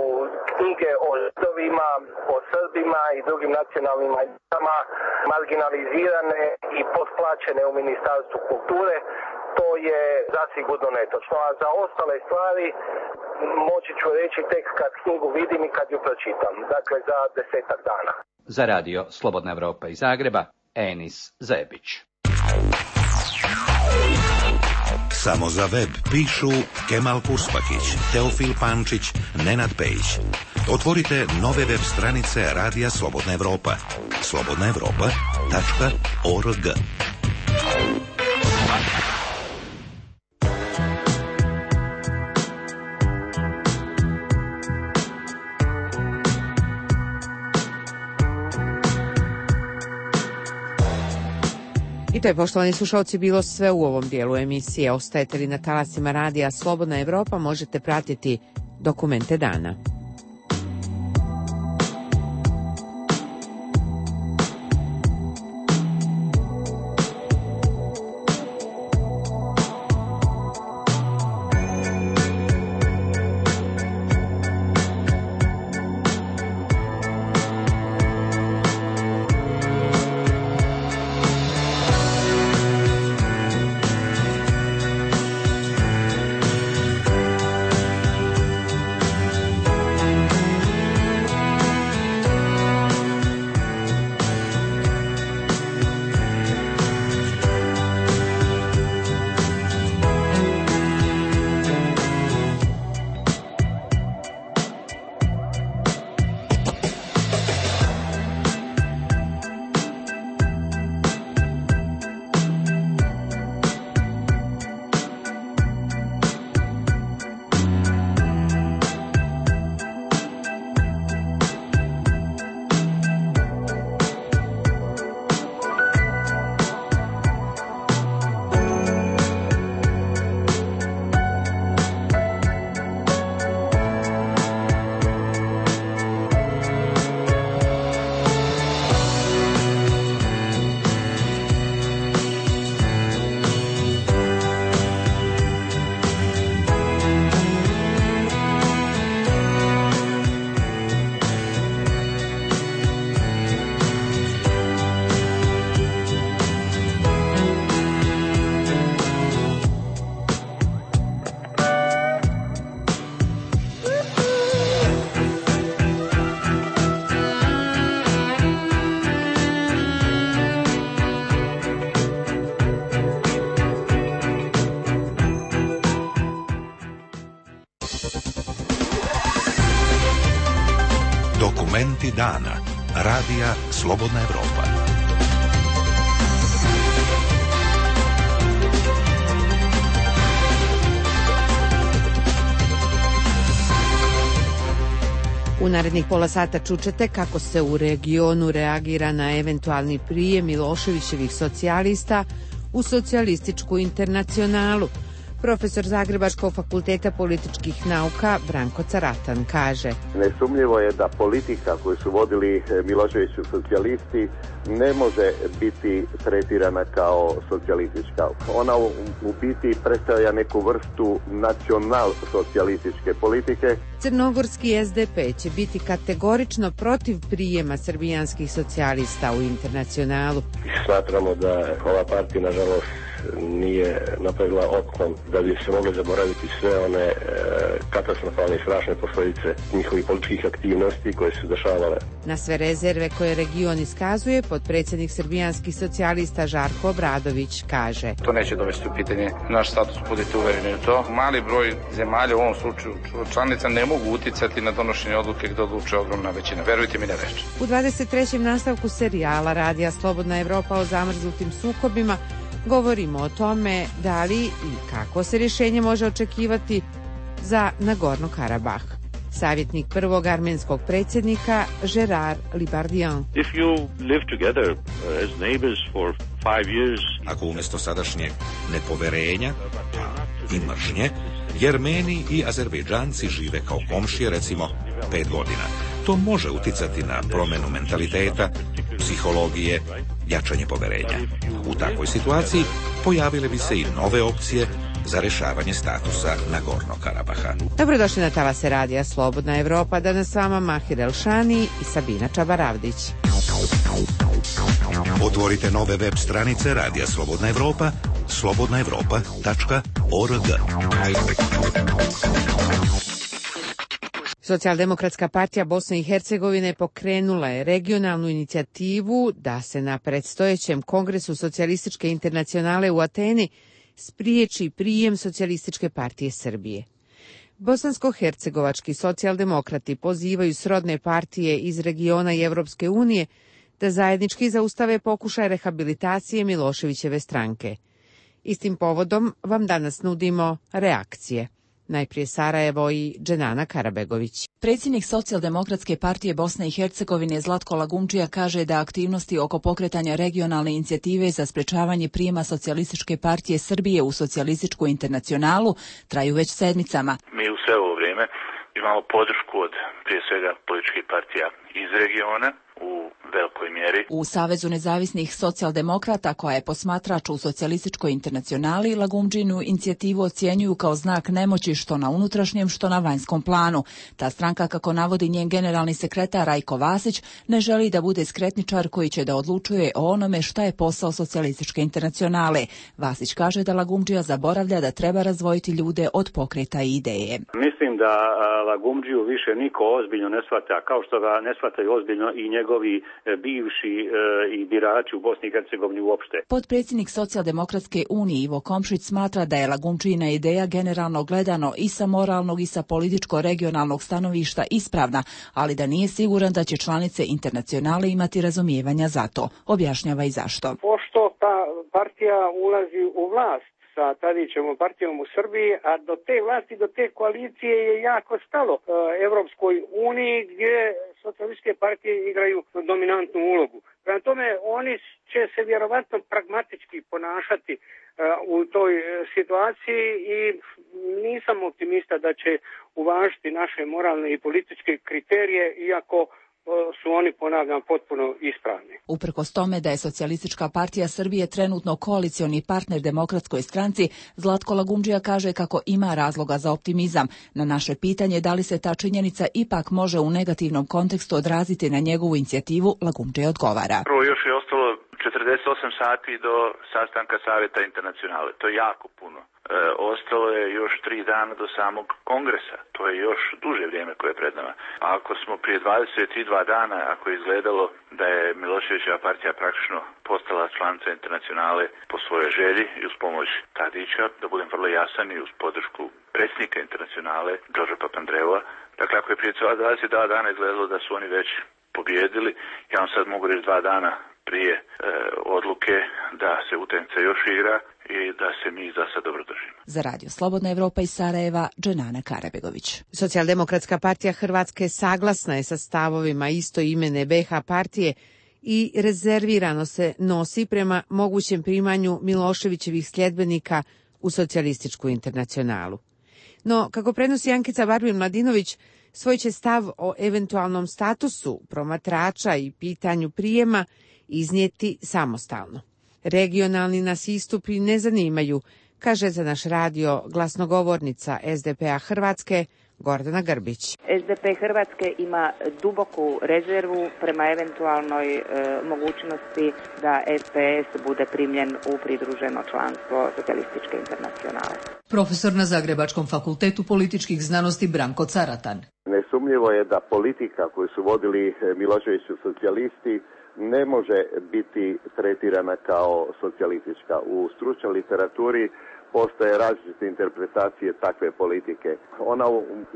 knjige o Židovima, o Srbima i drugim nacionalnim manjinama marginalizirane i potplaćene u Ministarstvu kulture. To je zasigurno netočno, a za ostale stvari moći ću reći tek kad knjigu vidim i kad ju pročitam, dakle za 10-ak dana. Za radio Slobodna Evropa iz Zagreba, Enis Zebić. Samo za web pišu Kemal Kuspakić, Teofil Pančić, Nenad Pejić. Otvorite nove web stranice Radija Slobodna Evropa. slobodnaevropa.org. I to je, poštovani slušalci, bilo sve u ovom dijelu emisije. Ostajete li na talasima Radija Slobodna Evropa, možete pratiti dokumente dana. Dokumenti dana. Radija Slobodna Evropa. U narednih pola sata čućete kako se u regionu reagira na eventualni prijem Miloševićevih socijalista u socijalističku internacionalu. Profesor Zagrebačkog fakulteta političkih nauka Branko Caratan kaže: Nesumnjivo je da politika koju su vodili Miloševićevi socijalisti ne može biti tretirana kao socijalistička. Ona u biti predstavlja neku vrstu nacional-socijalističke politike. Crnogorski SDP će biti kategorično protiv prijema srbijanskih socijalista u internacionalu. Smatramo da ova partija, nažalost, nije napravila otklon da bi se mogle zaboraviti sve one katastrofalne i strašne posljedice njihovih političkih aktivnosti koje su dešavale. Na sve rezerve koje region iskazuje, potpredsjednik srbijanskih socijalista Žarko Obradović kaže: To neće dovesti u pitanje naš status, budite uvereni u to. Mali broj zemalja, u ovom slučaju članica, ne mogu uticati na donošenje odluke gdje odlučuje ogromna većina. Verujte mi, ne reče. U 23. nastavku serijala Radija Slobodna Evropa o zamrznutim sukobima govorimo o tome da li i kako se rješenje može očekivati za Nagorno Karabah. Savjetnik prvog armenskog predsjednika Gerard Libardian. If you live together as neighbors for 5 years, ako umjesto sadašnjeg nepoverenja i mržnje, Jermeni i Azerbejdžanci žive kao komšije recimo 5 godina, to može uticati na promjenu mentaliteta, psihologije, jačanje poverenja. U takvoj situaciji pojavile bi se i nove opcije za rješavanje statusa Nagornog Karabaha. Dobrodošli na talase Radija Slobodna Evropa, danas s vama Mahir Elšani i Sabina Čabaravdić. Otvorite nove web stranice Radija Slobodna Evropa, slobodnaevropa.org. Socijaldemokratska partija Bosne i Hercegovine pokrenula je regionalnu inicijativu da se na predstojećem kongresu socijalističke internacionale u Ateni spriječi prijem Socijalističke partije Srbije. Bosansko-hercegovački socijaldemokrati pozivaju srodne partije iz regiona i Evropske unije da zajednički zaustave pokušaj rehabilitacije Miloševićeve stranke. Istim povodom vam danas nudimo reakcije. Najprije Sarajevo i Dženana Karabegović. Predsjednik Socijaldemokratske partije Bosne i Hercegovine Zlatko Lagumdžija kaže da aktivnosti oko pokretanja regionalne inicijative za sprečavanje prijema Socijalističke partije Srbije u Socijalističku internacionalu traju već sedmicama. Mi u sve ovo vrijeme imamo podršku od prije svega političkih partija iz regiona u velikoj mjeri. U Savezu nezavisnih socijaldemokrata, koja je posmatrač u Socijalističkoj internacionali, Lagumdžinu inicijativu ocjenjuju kao znak nemoći što na unutrašnjem, što na vanjskom planu. Ta stranka, kako navodi njen generalni sekretar Rajko Vasić, ne želi da bude skretničar koji će da odlučuje o onome šta je posao Socijalističke internacionale. Vasić kaže da Lagumdžija zaboravlja da treba razdvojiti ljude od pokreta i ideje. Mislim da Lagumdžiju više niko ozbiljno ne shvata, kao što ga ne shvataju ozbiljno i njegovi bivši i birači u Bosni i Hercegovini uopšte. Potpredsjednik Socijaldemokratske unije Ivo Komšić smatra da je Lagumdžijina ideja generalno gledano i sa moralnog i sa političko-regionalnog stanovišta ispravna, ali da nije siguran da će članice internacionale imati razumijevanja za to. Objašnjava i zašto. Pošto ta partija ulazi u vlast sa Tadićevom partijom u Srbiji, a do te vlasti, do te koalicije je jako stalo Evropskoj uniji, gdje socijalističke partije igraju dominantnu ulogu. Prema tome, oni će se vjerovatno pragmatički ponašati u toj situaciji i nisam optimista da će uvažiti naše moralne i političke kriterije, iako su oni, ponavljam, potpuno ispravni. Uprkos tome da je Socijalistička partija Srbije trenutno koalicioni partner Demokratskoj stranci, Zlatko Lagumdžija kaže kako ima razloga za optimizam. Na naše pitanje da li se ta činjenica ipak može u negativnom kontekstu odraziti na njegovu inicijativu, Lagumdžija odgovara. Prvo još je ostalo 48 sati do sastanka Savjeta internacionale. To je jako puno. Ostalo je još 3 dana do samog kongresa. To je još duže vrijeme koje je pred nama. A ako smo prije 22 dana, ako je izgledalo da je Miloševićeva partija praktično postala članica internacionale po svojoj želji i uz pomoć Tadića, da budem vrlo jasan, i uz podršku predsjednika internacionale Đorđa Papandreova, Dakle, ako je prije 22 dana izgledalo da su oni već pobijedili, ja vam sad mogu reći 2 dana prije odluke da se utakmica još igra i da se mi za sad dobro držimo. Za Radio Slobodna Evropa iz Sarajeva, Dženana Karabegović. Socijaldemokratska partija Hrvatske saglasna je sa stavovima istoimene BiH partije i rezervirano se nosi prema mogućem primanju Miloševićevih sljedbenika u socijalističku internacionalu. No, kako prenosi Ankica Barbir-Mladinović, svoj će stav o eventualnom statusu promatrača i pitanju prijema iznijeti samostalno. Regionalni nas istupi ne zanimaju, kaže za naš radio glasnogovornica SDP-a Hrvatske Gordana Grbić. SDP Hrvatske ima duboku rezervu prema eventualnoj mogućnosti da SPS bude primljen u pridruženo članstvo Socijalističke internacionale. Profesor na Zagrebačkom fakultetu političkih znanosti Branko Caratan. Nesumnjivo je da politika koju su vodili Miloševiću socijalisti ne može biti tretirana kao socijalistička. U stručnoj literaturi postoje različite interpretacije takve politike. Ona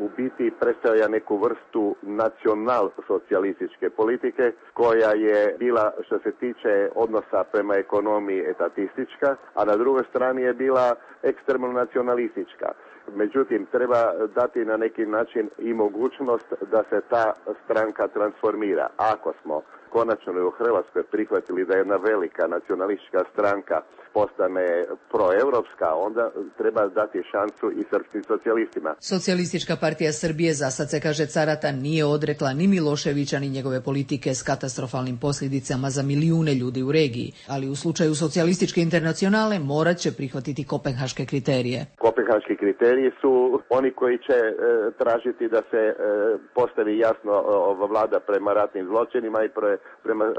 u biti predstavlja neku vrstu nacional-socijalističke politike koja je bila, što se tiče odnosa prema ekonomiji, etatistička, a na drugoj strani je bila ekstremno nacionalistička. Međutim, treba dati na neki način i mogućnost da se ta stranka transformira. Ako smo konačno u Hrvatskoj prihvatili da jedna velika nacionalistička stranka postane proevropska, onda treba dati šansu i srpskim socijalistima. Socijalistička partija Srbije, za sad se kaže Caratan, nije odrekla ni Miloševića ni njegove politike s katastrofalnim posljedicama za milijune ljudi u regiji, ali u slučaju Socijalističke internacionale morat će prihvatiti kopenhaške kriterije. Kopenhaški kriteriji su oni koji će tražiti da se postavi jasno vlada prema ratnim zločinima i prema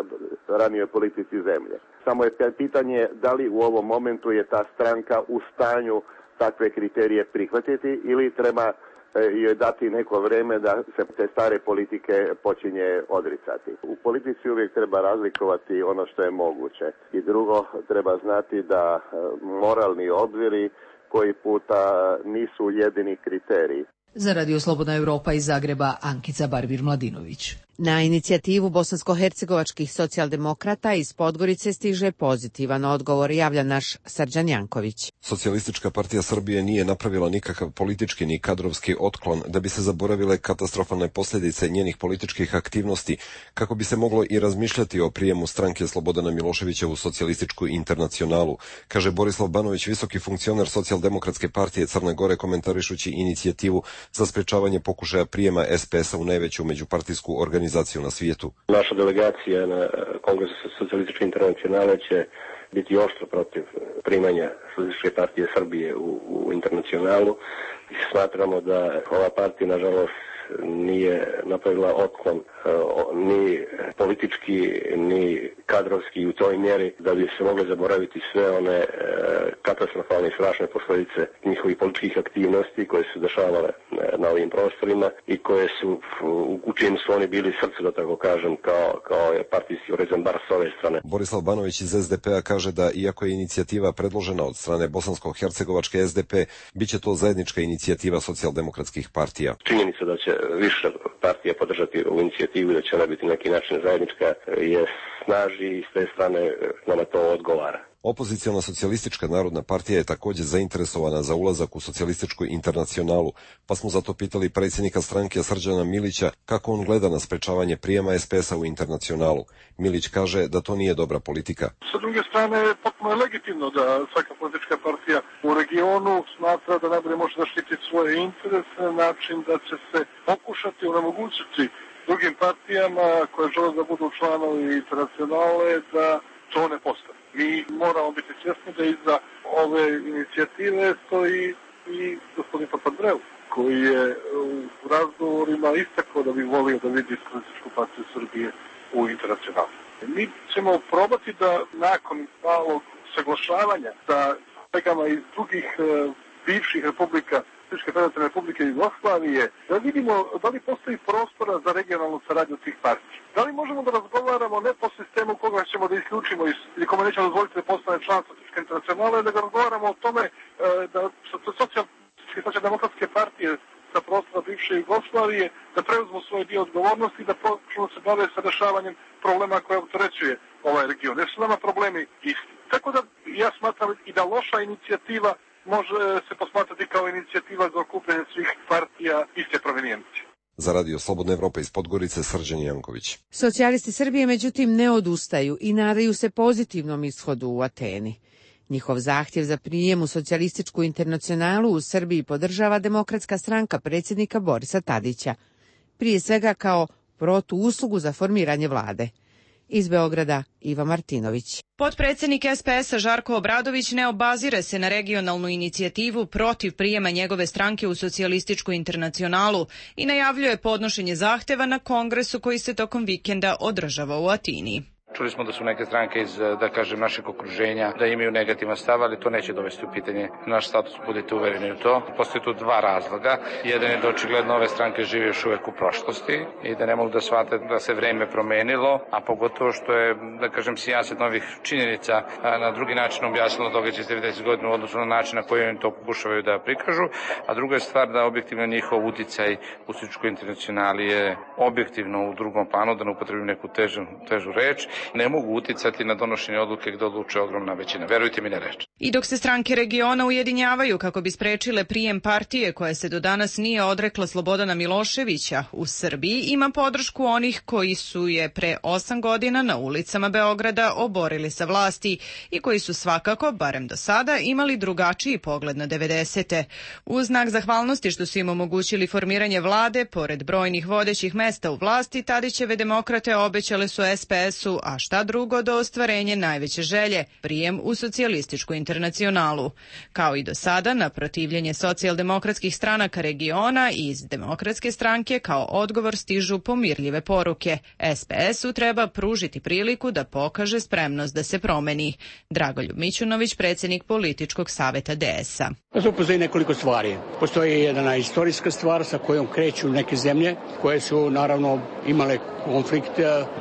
ranijoj politici zemlje. Samo je pitanje da li u ovom momentu je ta stranka u stanju takve kriterije prihvatiti ili treba joj dati neko vreme da se te stare politike počinje odricati. U politici uvijek treba razlikovati ono što je moguće. I drugo, treba znati da moralni obziri koji puta nisu jedini kriteriji. Za Radio Slobodna Evropa iz Zagreba, Ankica Barbir-Mladinović. Na inicijativu bosansko-hercegovačkih socijaldemokrata iz Podgorice stiže pozitivan odgovor, javlja naš Srđan Janković. Socijalistička partija Srbije nije napravila nikakav politički ni kadrovski otklon da bi se zaboravile katastrofalne posljedice njenih političkih aktivnosti, kako bi se moglo i razmišljati o prijemu stranke Slobodana Miloševića u socijalističku internacionalu, kaže Borislav Banović, visoki funkcioner Socijaldemokratske partije Crne Gore, komentarišući inicijativu za sprečavanje pokušaja prijema SPS-a u najveću međupartijsku organizaciju na svijetu. Naša delegacija na Kongresu Socijalističke internacionale će biti oštro protiv primanja Socijalističke partije Srbije u internacionalu. Smatramo da ova partija, nažalost, nije napravila otklon ni politički ni kadrovski u toj mjeri da bi se mogle zaboraviti sve one katastrofalne i strašne posljedice njihovih političkih aktivnosti koje su dešavale na ovim prostorima i koje su, u čim su oni bili srce, da tako kažem, kao partijski orezan bar s ove strane. Borislav Banović iz SDP-a kaže da iako je inicijativa predložena od strane bosansko-hercegovačke SDP, bit će to zajednička inicijativa socijaldemokratskih partija. Činjenica da će više partija podržati ovu inicijativu i da će ona biti na neki način zajednička je snaži i s te strane nama to odgovara. Opoziciona socijalistička narodna partija je također zainteresovana za ulazak u socijalističku internacionalu, pa smo zato pitali predsjednika stranke Srđana Milića kako on gleda na sprečavanje prijema SPS-a u internacionalu. Milić kaže da to nije dobra politika. Sa druge strane, potpuno je legitimno da svaka politička partija u regionu smatra da najbolje može zaštiti svoje interese na način da će se pokušati onemogućiti drugim partijama koje žele da budu članovi internacionale da to ne postane. Mi moramo biti svjesni da iza ove inicijative stoji i gospodin Papandreou, koji je u razgovorima istakao da bi volio da vidi Socijalističku partiju Srbije u internacionalu. Mi ćemo probati da nakon malog saglašavanja sa kolegama iz drugih bivših republika, Socijalističke federativne republike Jugoslavije, da vidimo da li postoji prostora za regionalnu saradnju tih partija. Da li možemo da razgovaramo ne po sistemu koga ćemo da isključimo ili kome nećemo dozvoliti da postane član Socijalističke internacionale, da razgovaramo o tome da socijaldemokratske partije sa prostora bivše Jugoslavije da preuzmu svoj dio odgovornosti i da počnu se bave sa rešavanjem problema koje opterećuje ovaj region. Jer su nama problemi isti. Tako da ja smatram i da loša inicijativa može se posmatrati kao inicijativa za okupljanje svih partija iste provenijencije. Za Radio Slobodna Evropa iz Podgorice, Srđan Janković. Socijalisti Srbije međutim ne odustaju i nadaju se pozitivnom ishodu u Ateni. Njihov zahtjev za prijem u socijalističku internacionalu u Srbiji podržava Demokratska stranka predsjednika Borisa Tadića, prije svega kao protuuslugu za formiranje vlade. Iz Beograda, Iva Martinović. Potpredsjednik SPS-a Žarko Obradović ne obazire se na regionalnu inicijativu protiv prijema njegove stranke u socijalističku internacionalu i najavljuje podnošenje zahteva na kongresu koji se tokom vikenda održava u Atini. Čuli smo da su neke stranke iz, da kažem, našeg okruženja da imaju negativan stav, ali to neće dovesti u pitanje naš status, budite uvereni u to. Postoje tu dva razloga. Jedan je da očigledno ove stranke žive još uvek u prošlosti i da ne mogu da shvate da se vreme promenilo, a pogotovo što je, da kažem, sijaset novih činjenica na drugi način objasnilo događaj iz 90 godina u odnosu na način na koji oni to pokušavaju da prikažu. A druga je stvar da objektivno njihov uticaj u socijalističkoj internacionali je objektivno u drugom planu, da ne upotrebim neku težu reč. Ne mogu uticati na donošenje odluke gde odluče ogromna većina. Verujte mi na reč. I dok se stranke regiona ujedinjavaju kako bi sprečile prijem partije koja se do danas nije odrekla Slobodana Miloševića, u Srbiji ima podršku onih koji su je pre 8 godina na ulicama Beograda oborili sa vlasti i koji su svakako, barem do sada, imali drugačiji pogled na 90. U znak zahvalnosti što su im omogućili formiranje vlade, pored brojnih vodećih mesta u vlasti, Tadićeve demokrate obećale su SPS-u, a šta drugo do ostvarenje najveće želje, prijem u socijalističku internacionalu. Kao i do sada, na protivljenje socijaldemokratskih stranaka regiona i iz Demokratske stranke kao odgovor stižu pomirljive poruke. SPS-u treba pružiti priliku da pokaže spremnost da se promeni. Dragoljub Mićunović, predsjednik političkog saveta DS-a. Tu postoji nekoliko stvari. Postoji jedna istorijska stvar sa kojom kreću neke zemlje koje su naravno imale konflikt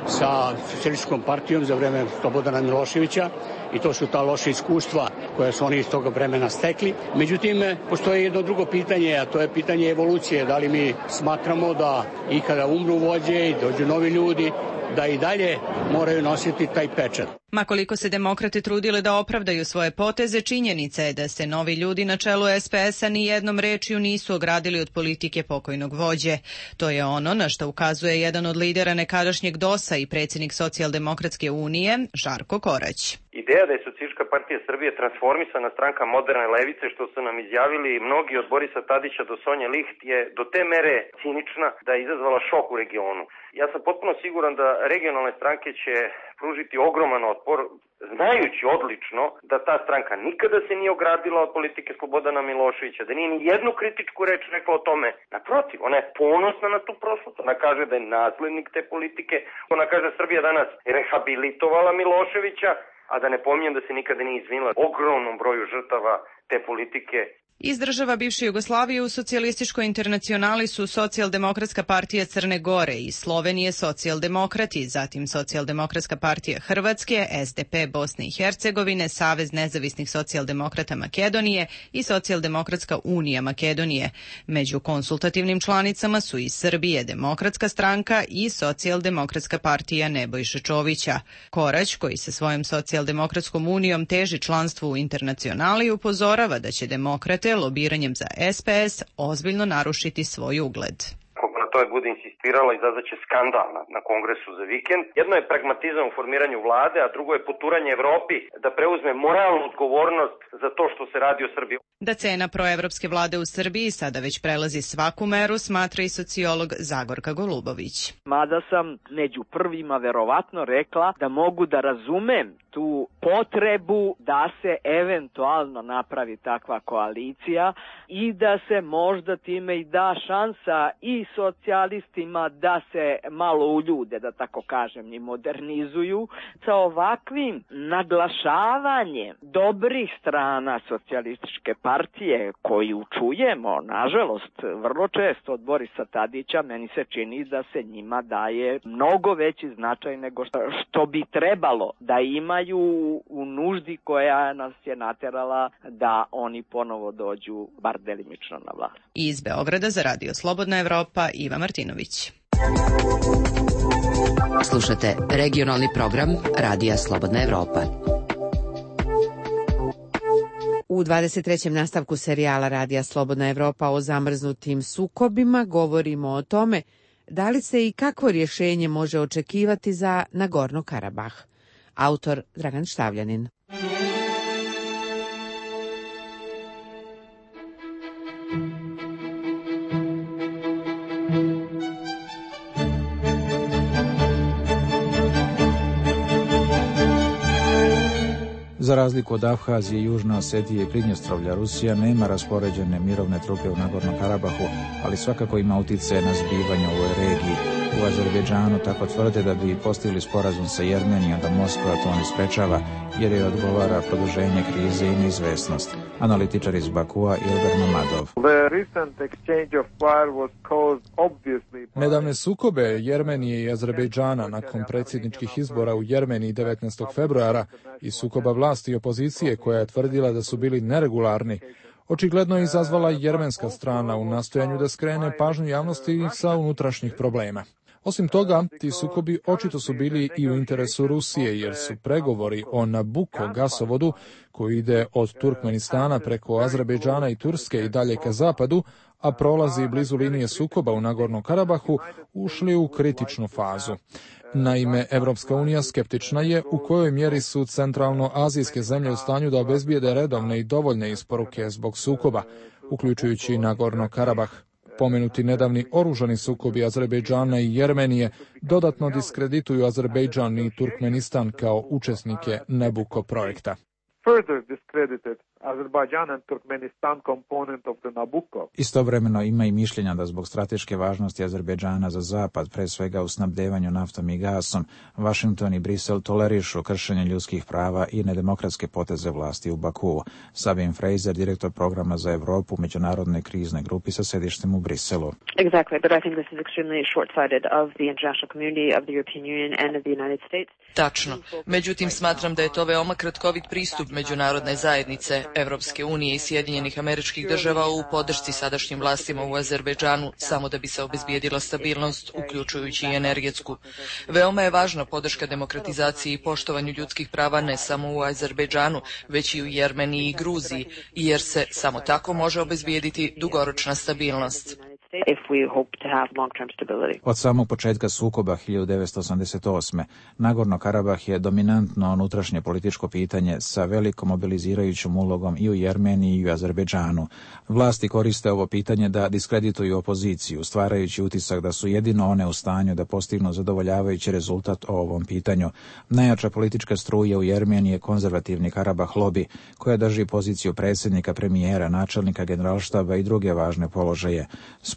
sa socijalističkom partijom za vreme Slobodana Miloševića i to su ta loša iskustva koje su oni iz toga vremena stekli. Međutim, postoji jedno drugo pitanje, a to je pitanje evolucije. Da li mi smatramo da i kada umru vođe i dođu novi ljudi, da i dalje moraju nositi taj pečat. Ma koliko se demokrate trudile da opravdaju svoje poteze, činjenica je da se novi ljudi na čelu SPS-a ni jednom rečju nisu ogradili od politike pokojnog vođe. To je ono na što ukazuje jedan od lidera nekadašnjeg DOS-a i predsjednik Socijaldemokratske unije, Žarko Korać. Ideja da je Socijalistička partija Srbije transformisana stranka moderne levice, što su nam izjavili mnogi od Borisa Tadića do Sonje Liht, je do te mere cinična da je izazvala šok u regionu. Ja sam potpuno siguran da regionalne stranke će pružiti ogroman otpor, znajući odlično da ta stranka nikada se nije ogradila od politike Slobodana Miloševića, da nije ni jednu kritičku reč rekla o tome. Naprotiv, ona je ponosna na tu prošlost, ona kaže da je naslednik te politike, ona kaže da Srbija danas rehabilitovala Miloševića, a da ne pominjem da se nikada nije izvinila ogromnom broju žrtava te politike. Iz država bivše Jugoslavije u socijalističkoj internacionali su Socijaldemokratska partija Crne Gore i Slovenije socijaldemokrati, zatim Socijaldemokratska partija Hrvatske, SDP Bosne i Hercegovine, Savez nezavisnih socijaldemokrata Makedonije i Socijaldemokratska unija Makedonije. Među konsultativnim članicama su i Srbije Demokratska stranka i Socijaldemokratska partija Nebojše Čovića. Korać, koji se svojom Socijaldemokratskom unijom teži članstvu u internacionali, upozorava da će demokrate lobiranjem za SPS ozbiljno narušiti svoj ugled. Ako na tome bude insistirala, izazvaće skandal na kongresu za vikend. Jedno je pragmatizam u formiranju vlade, a drugo je poturanje Evropi da preuzme moralnu odgovornost za to što se radi o Srbiji. Da cena proevropske vlade u Srbiji sada već prelazi svaku meru, smatra i sociolog Zagorka Golubović. Mada sam među prvima verovatno rekla da mogu da razumem tu potrebu da se eventualno napravi takva koalicija i da se možda time i da šansa i socijalistima da se malo uljude, da tako kažem, i modernizuju. Sa ovakvim naglašavanjem dobrih strana socijalističke partije koju čujemo, nažalost, vrlo često od Borisa Tadića, meni se čini da se njima daje mnogo veći značaj nego što bi trebalo da imaju priznaju u nuždi koja nas je naterala da oni ponovo dođu bar delimično na vlast. Iz Beograda za Radio Slobodna Evropa, Iva Martinović. Slušate regionalni program Radija Slobodna Evropa. U 23. nastavku serijala Radija Slobodna Evropa o zamrznutim sukobima govorimo o tome da li se i kakvo rješenje može očekivati za Nagorno Karabah. Autor Dragan Štavljanin. Za razliku od Abhazije, Južne Osetije i Pridnjestrovlja, Rusija nema raspoređene mirovne trupe u Nagorno Karabahu, ali svakako ima uticaje na zbivanje u ovoj regiji. U Azerbejdžanu tako tvrde da bi postigli sporazum sa Jermenijom, da Moskva to ne sprečava, jer je odgovara produženje krize i neizvesnost. Analitičar iz Bakua Ilgar Mamadov. Nedavne sukobe Jermenije i Azerbejdžana nakon predsjedničkih izbora u Jermeniji 19. februara i sukoba vlasti i opozicije koja je tvrdila da su bili neregularni, očigledno je izazvala jermenska strana u nastojanju da skrene pažnju javnosti sa unutrašnjih problema. Osim toga, ti sukobi očito su bili i u interesu Rusije, jer su pregovori o Nabuko gasovodu, koji ide od Turkmenistana preko Azerbejdžana i Turske i dalje ka zapadu, a prolazi blizu linije sukoba u Nagornom Karabahu, ušli u kritičnu fazu. Naime, Evropska unija skeptična je u kojoj mjeri su centralno-azijske zemlje u stanju da obezbijede redovne i dovoljne isporuke zbog sukoba, uključujući Nagorno Karabah. Pomenuti nedavni oružani sukobi Azerbejdžana i Jermenije dodatno diskredituju Azerbejdžan i Turkmenistan kao učesnike Nabucco projekta. Istovremeno ima i mišljenja da zbog strateške važnosti Azerbejdžana za zapad, pre svega u snabdevanju naftom i gasom, Washington i Brisel tolerišu kršenje ljudskih prava i nedemokratske poteze vlasti u Bakuu. Sabine Fraser, direktor programa za Evropu Međunarodne krizne grupi sa sedištem u Briselu. Tačno. Međutim, smatram da je to veoma kratkovit pristup međunarodne zajednice, Evropske unije i Sjedinjenih Američkih Država u podršci sadašnjim vlastima u Azerbejdžanu samo da bi se obezbijedila stabilnost, uključujući i energetsku. Veoma je važna podrška demokratizaciji i poštovanju ljudskih prava ne samo u Azerbejdžanu, već i u Jermeniji i Gruziji, jer se samo tako može obezbijediti dugoročna stabilnost. Od samog početka sukoba 1988. Nagorno Karabah je dominantno unutrašnje političko pitanje sa velikom mobilizirajućom ulogom i u Jermeniji i u Azerbejdžanu. Vlasti koriste ovo pitanje da diskredituju opoziciju, stvarajući utisak da su jedino one u stanju da postignu zadovoljavajući rezultat o ovom pitanju. Najjača politička struja u Jermeniji je konzervativni Karabah lobby, koja drži poziciju predsjednika, premijera, načelnika generalštaba i druge važne položaje.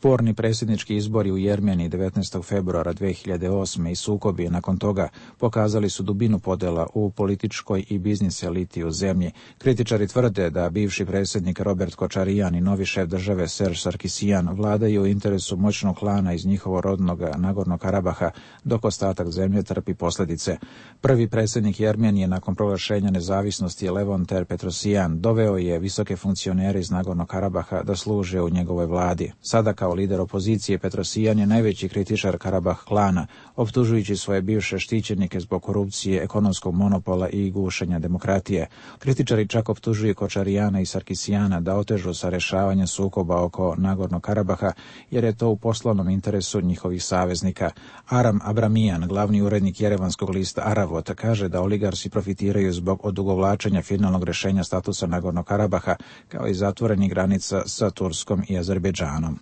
Sporni predsjednički izbori u Jermeniji 19. februara 2008. i sukobi nakon toga pokazali su dubinu podela u političkoj i biznis eliti u zemlji. Kritičari tvrde da bivši predsjednik Robert Kočarijan i novi šef države Serge Sarkisian vladaju u interesu moćnog klana iz njihovo rodnog Nagornog Karabaha, dok ostatak zemlje trpi posljedice. Prvi predsjednik Jermenije nakon proglašenja nezavisnosti Levon Ter Petrosian doveo je visoke funkcionere iz Nagornog Karabaha da služe u njegovoj vladi. Sada kao lider opozicije Petrosian je najveći kritičar Karabah klana, optužujući svoje bivše štićenike zbog korupcije, ekonomskog monopola i gušenja demokratije. Kritičari čak optužuju Kočarijana i Sarkisijana da otežu sa rješavanjem sukoba oko Nagornog Karabaha, jer je to u poslovnom interesu njihovih saveznika. Aram Abramijan, glavni urednik jerevanskog lista Aravot, kaže da oligarsi profitiraju zbog odugovlačenja finalnog rješenja statusa Nagornog Karabaha, kao i zatvorenih granica sa Turskom i Azerbejdžanom.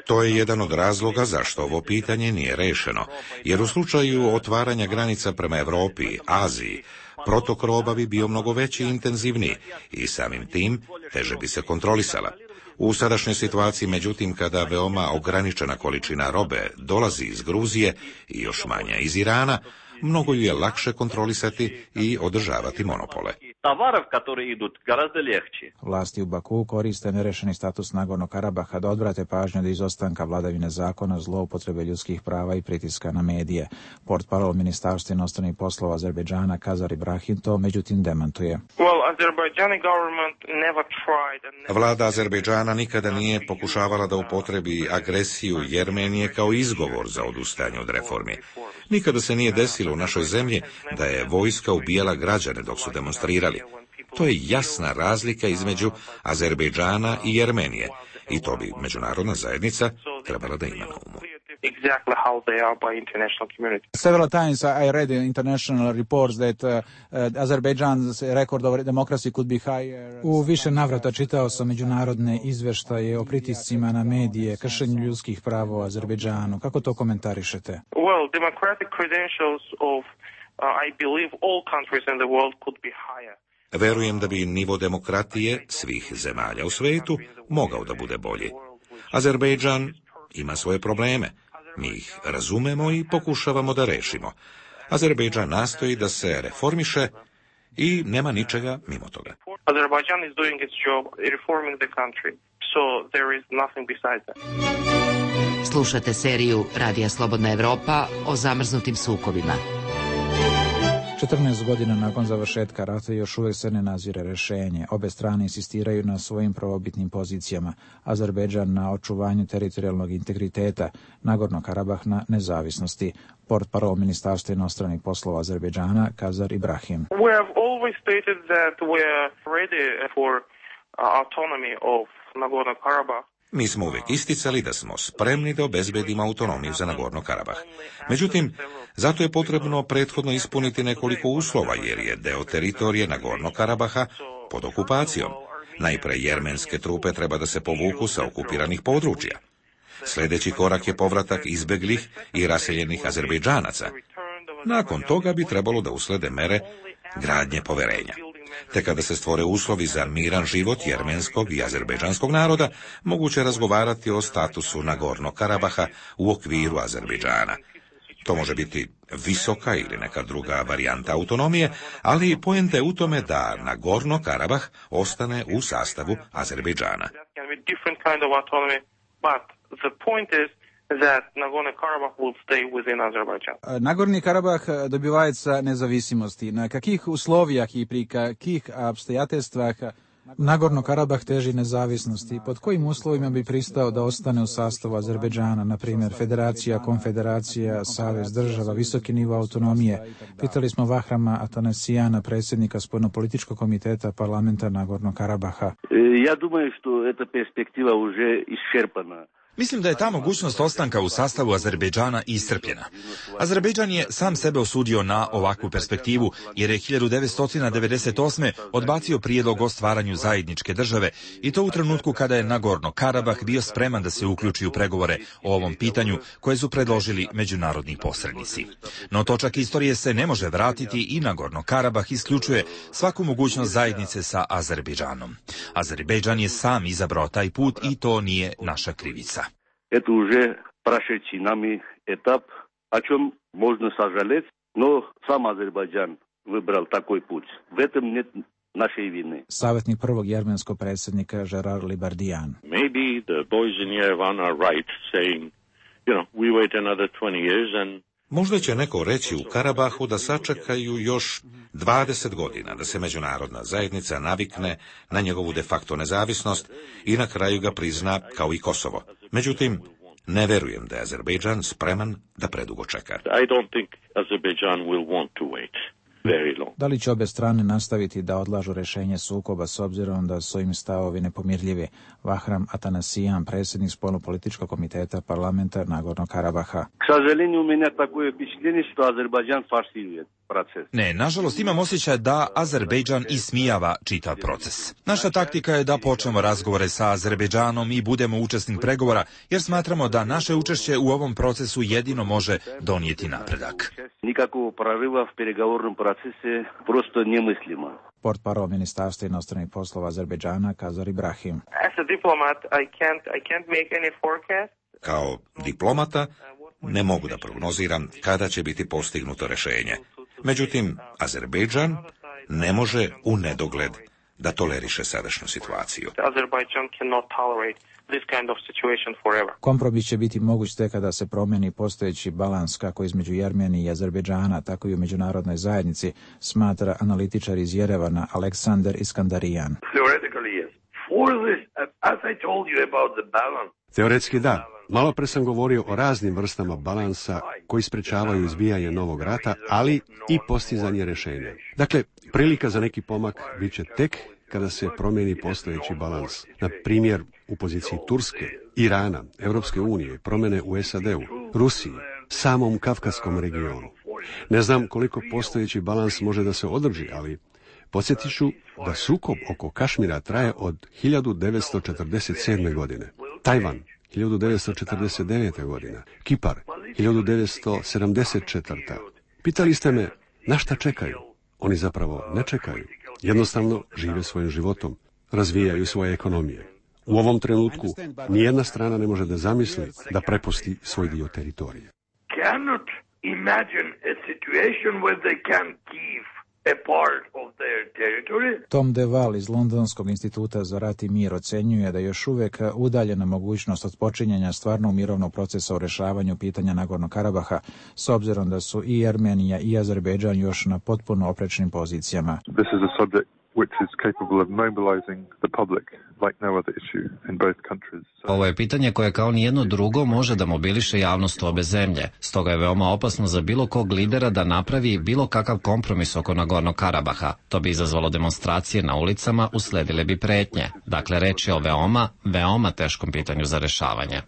To je jedan od razloga zašto ovo pitanje nije rešeno, jer u slučaju otvaranja granica prema Evropi, Aziji, protok roba bi bio mnogo veći i intenzivniji i samim tim teže bi se kontrolisala. U sadašnjoj situaciji, međutim, kada veoma ograničena količina robe dolazi iz Gruzije i još manja iz Irana, mnogo ju je lakše kontrolisati i održavati monopole. товаров, которые идут, гораздо легче. Vlasti u Baku koriste nerešeni status Nagornog Karabaha da odvrate pažnju od izostanka vladavine zakona, zloupotrebe ljudskih prava i pritiska na medije. Portparol Ministarstva inostranih poslova Azerbejdžana Kazar Ibrahim to međutim demantuje. Vlada Azerbejdžana nikada nije pokušavala da upotrebi agresiju Jermenije kao izgovor za odustajanje od reformi. Nikada se nije desilo u našoj zemlji da je vojska ubijala građane dok su demonstrirali. To je jasna razlika između Azerbejdžana i Jermenije i to bi međunarodna zajednica trebala da ima na umu. Exactly how they are by international community. Several times I read in international reports that Azerbaijan's record of democracy could be higher. U više navrata čitao sam međunarodne izveštaje o pritiscima na medije, kršenju ljudskih prava u Azerbejdžanu. Kako to komentarišete? Well, democratic credentials of I believe all countries in the world could be higher. Verujem da bi nivo demokratije svih zemalja u svetu mogao da bude bolji. Azerbejdžan ima svoje probleme. Mi ih razumemo i pokušavamo da rešimo. Azerbejdžan nastoji da se reformiše i nema ničega mimo toga. Azerbaijan is doing its job reforming the country. So there is nothing besides that. Slušate seriju Radija Slobodna Evropa o zamrznutim sukobima. 14 godina nakon završetka rata još uvijek se ne nazire rešenje. Obe strane insistiraju na svojim prvobitnim pozicijama. Azerbejdžan na očuvanju teritorijalnog integriteta, Nagorno Karabah na nezavisnosti. Portparol Ministarstva inostranih poslova Azerbejdžana Kazar Ibrahim. We have always stated that we are ready for autonomy of Nagorno Karabah. Mi smo uvijek isticali da smo spremni da obezbedimo autonomiju za Nagorno Karabah. Međutim, zato je potrebno prethodno ispuniti nekoliko uslova, jer je deo teritorije Nagorno Karabaha pod okupacijom. Najpre jermenske trupe treba da se povuku sa okupiranih područja. Sljedeći korak je povratak izbeglih i raseljenih Azerbejdžanaca. Nakon toga bi trebalo da uslede mere gradnje poverenja. Te kada se stvore uslovi za miran život jermenskog i azerbejdžanskog naroda, moguće razgovarati o statusu Nagorno Karabaha u okviru Azerbejdžana. To može biti visoka ili neka druga varijanta autonomije, ali poenta je u tome da Nagorno Karabah ostane u sastavu Azerbejdžana. That Nagorno-Karabakh will stay within Azerbaijan. Nagorni Karabah dobivается независимости. На каких условиях и при каких обстоятельствах Nagorno Karabah teži nezavisnosti? Pod kojim uslovima bi pristao da ostane u sastavu Azerbejdžana, na primjer federacija, konfederacija, savez država, visoki nivo autonomije? Pitali smo Vahrama Atanasijana, predsjednika Spoljnopolitičkog komiteta parlamenta Nagorno Karabaha. Ja думаю, что эта перспектива уже исчерпана. Mislim da je ta mogućnost ostanka u sastavu Azerbejdžana iscrpljena. Azerbejdžan je sam sebe osudio na ovakvu perspektivu, jer je 1998. odbacio prijedlog o stvaranju zajedničke države i to u trenutku kada je Nagorno Karabah bio spreman da se uključi u pregovore o ovom pitanju koje su predložili međunarodni posrednici. No točak istorije se ne može vratiti i Nagorno Karabah isključuje svaku mogućnost zajednice sa Azerbejdžanom. Azerbejdžan je sam izabrao taj put i to nije naša krivica. Это уже прошедший нами этап, о чем можно сожалеть, но сам Азербайджан выбрал такой путь. В этом нет našej vine. Savjetnik prvog jermenskog predsjednika Gerard Libardijan. Maybe the boys in Yerevan are right saying, we wait another 20 years and Možda će neko reći u Karabahu da sačekaju još 20 godina da se međunarodna zajednica navikne na njegovu de facto nezavisnost i na kraju ga prizna kao i Kosovo. Međutim, ne verujem da je Azerbejdžan spreman da predugo čeka. I don't think Azerbaijan will want to wait very long. Da li će obe strane nastaviti da odlažu rešenje sukoba s obzirom da su im stavovi nepomirljivi? Vahram Atanasijan, predsjednik Spoljnopolitičkog komiteta parlamenta Nagorno Karabaha. К сожалению, у меня такое впечатление, что Азербайджан форсирует proces. Ne, nažalost imam osjećaj da Azerbejdžan ismijava čitav proces. Naša taktika je da počnemo razgovore sa Azerbejdžanom i budemo učesnik pregovora, jer smatramo da naše učešće u ovom procesu jedino može donijeti napredak. Nikakvog proriva v переговорном процессе просто немыслимо. Portparol Ministarstva inostranih poslova Azerbejdžana Kazar Ibrahim. As a diplomat, I can't make any forecast. Kao diplomata ne mogu da prognoziram kada će biti postignuto rešenje. Međutim, Azerbejdžan ne može u nedogled da toleriše sadašnju situaciju. Kompromis će biti moguć tek kada se promeni postojeći balans kako između Jermenije i Azerbejdžana, tako i u međunarodnoj zajednici, smatra analitičar iz Jerevana Aleksandar Iskandarijan. Teoretski da. Malo pre sam govorio o raznim vrstama balansa koji sprečavaju izbijanje novog rata, ali i postizanje rješenja. Dakle, prilika za neki pomak bit će tek kada se promijeni postojeći balans. Na primjer, u poziciji Turske, Irana, Europske unije, promjene u SAD-u, Rusiji, samom Kavkazskom regionu. Ne znam koliko postojeći balans može da se održi, ali podsjetit ću da sukob oko Kašmira traje od 1947. godine. Tajvan 1949. godina. Kipar 1974. Pitali ste me na šta čekaju? Oni zapravo ne čekaju. Jednostavno žive svojim životom, razvijaju svoje ekonomije. U ovom trenutku nijedna strana ne može da zamisli da prepusti svoj dio teritorije. Cannot imagine a situation where they can keep a part of their territory. Tom DeVal iz Londonskog instituta za rat i mir ocenjuje da je još uvijek udaljena mogućnost od počinjenja stvarnog mirovnog procesa u rešavanju pitanja Nagornog Karabaha, s obzirom da su i Armenija i Azerbejdžan još na potpuno oprečnim pozicijama. This is a subject which is capable of mobilizing the public like no other issue in both countries. Ovo je pitanje koje kao nijedno drugo može da mobiliše javnost u obe zemlje. Stoga je veoma opasno za bilo kog lidera da napravi bilo kakav kompromis oko Nagornog Karabaha. To bi izazvalo demonstracije na ulicama, usledile bi pretnje. Dakle, reč je o veoma teškom pitanju za rešavanje.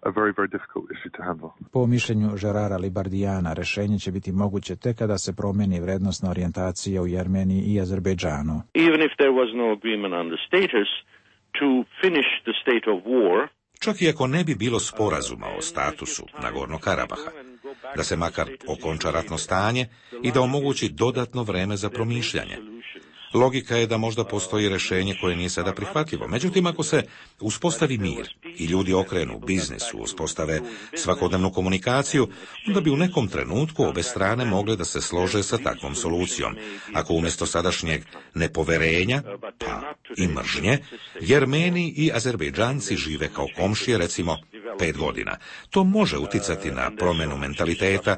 A very, very difficult issue to handle. Po mišljenju Žerara Libardijana, rešenje će biti moguće tek kada se promeni vrednostna orijentacija u Jermeniji i Azerbejdžanu. Even if there was no agreement on the status to finish the state of war, čak i ako ne bi bilo sporazuma o statusu Nagornog Karabaha, da se makar okonča ratno stanje i da omogući dodatno vreme za promišljanje. Logika je da možda postoji rješenje koje nije sada prihvatljivo. Međutim, ako se uspostavi mir i ljudi okrenu biznisu, uspostave svakodnevnu komunikaciju, onda bi u nekom trenutku obe strane mogle da se slože sa takvom solucijom. Ako umjesto sadašnjeg nepoverenja, pa i mržnje, Jermeni i Azerbejdžanci žive kao komšije, recimo 5 godina. To može uticati na promjenu mentaliteta,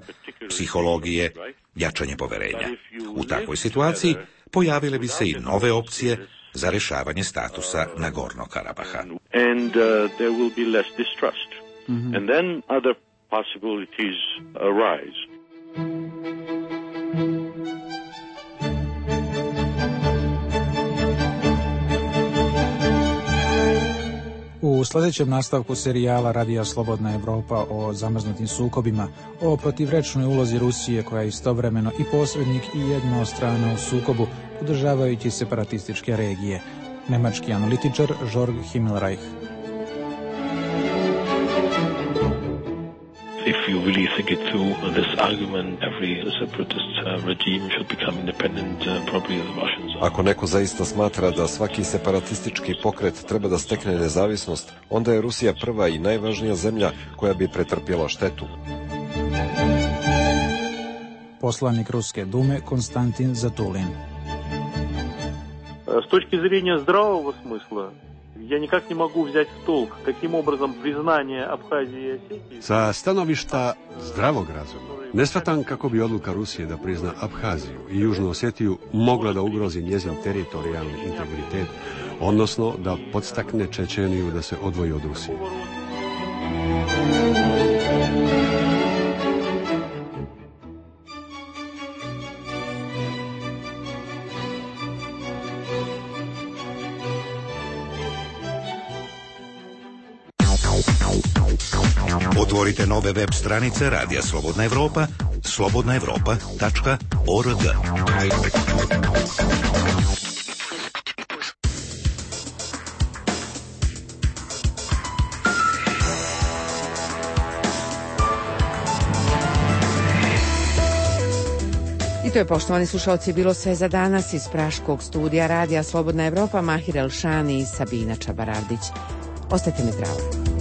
psihologije, jačanje poverenja. U takvoj situaciji pojavile bi se i nove opcije za rješavanje statusa Nagornog Karabaha. and there will be less distrust. And then other possibilities arise. U sljedećem nastavku serijala Radija Slobodna Evropa o zamrznutim sukobima, o protivrečnoj ulozi Rusije koja je istovremeno i posrednik i jedna od strana u sukobu, podržavajući separatističke regije. Nemački analitičar Jörg Himmelreich. If you really think it through, this argument, every separatist regime should become independent, probably the Russians. Ako neko zaista smatra da svaki separatistički pokret treba da stekne nezavisnost, onda je Rusija prva i najvažnija zemlja koja bi pretrpjela štetu. Poslanik Ruske dume Konstantin Zatulin. С точки зрения здравого смысла, я никак не могу взять в толк, каким образом признание Абхазии и Осетии... Sa stanovišta zdravog razuma, ne shvatam kako bi odluka Rusije da prizna Abhaziju i Južnu Osetiju mogla da ugrozi njezin teritorijalni integritet, odnosno da podstakne Čečeniju da se odvoji od Rusije. Otvorite nove web stranice Radija Slobodna Evropa, slobodnaevropa.org. I to je, poštovani slušalci, bilo sve za danas iz praškog studija Radija Slobodna Evropa, Mahir Elšani i Sabina Čabarardić. Ostajte mi zdravo.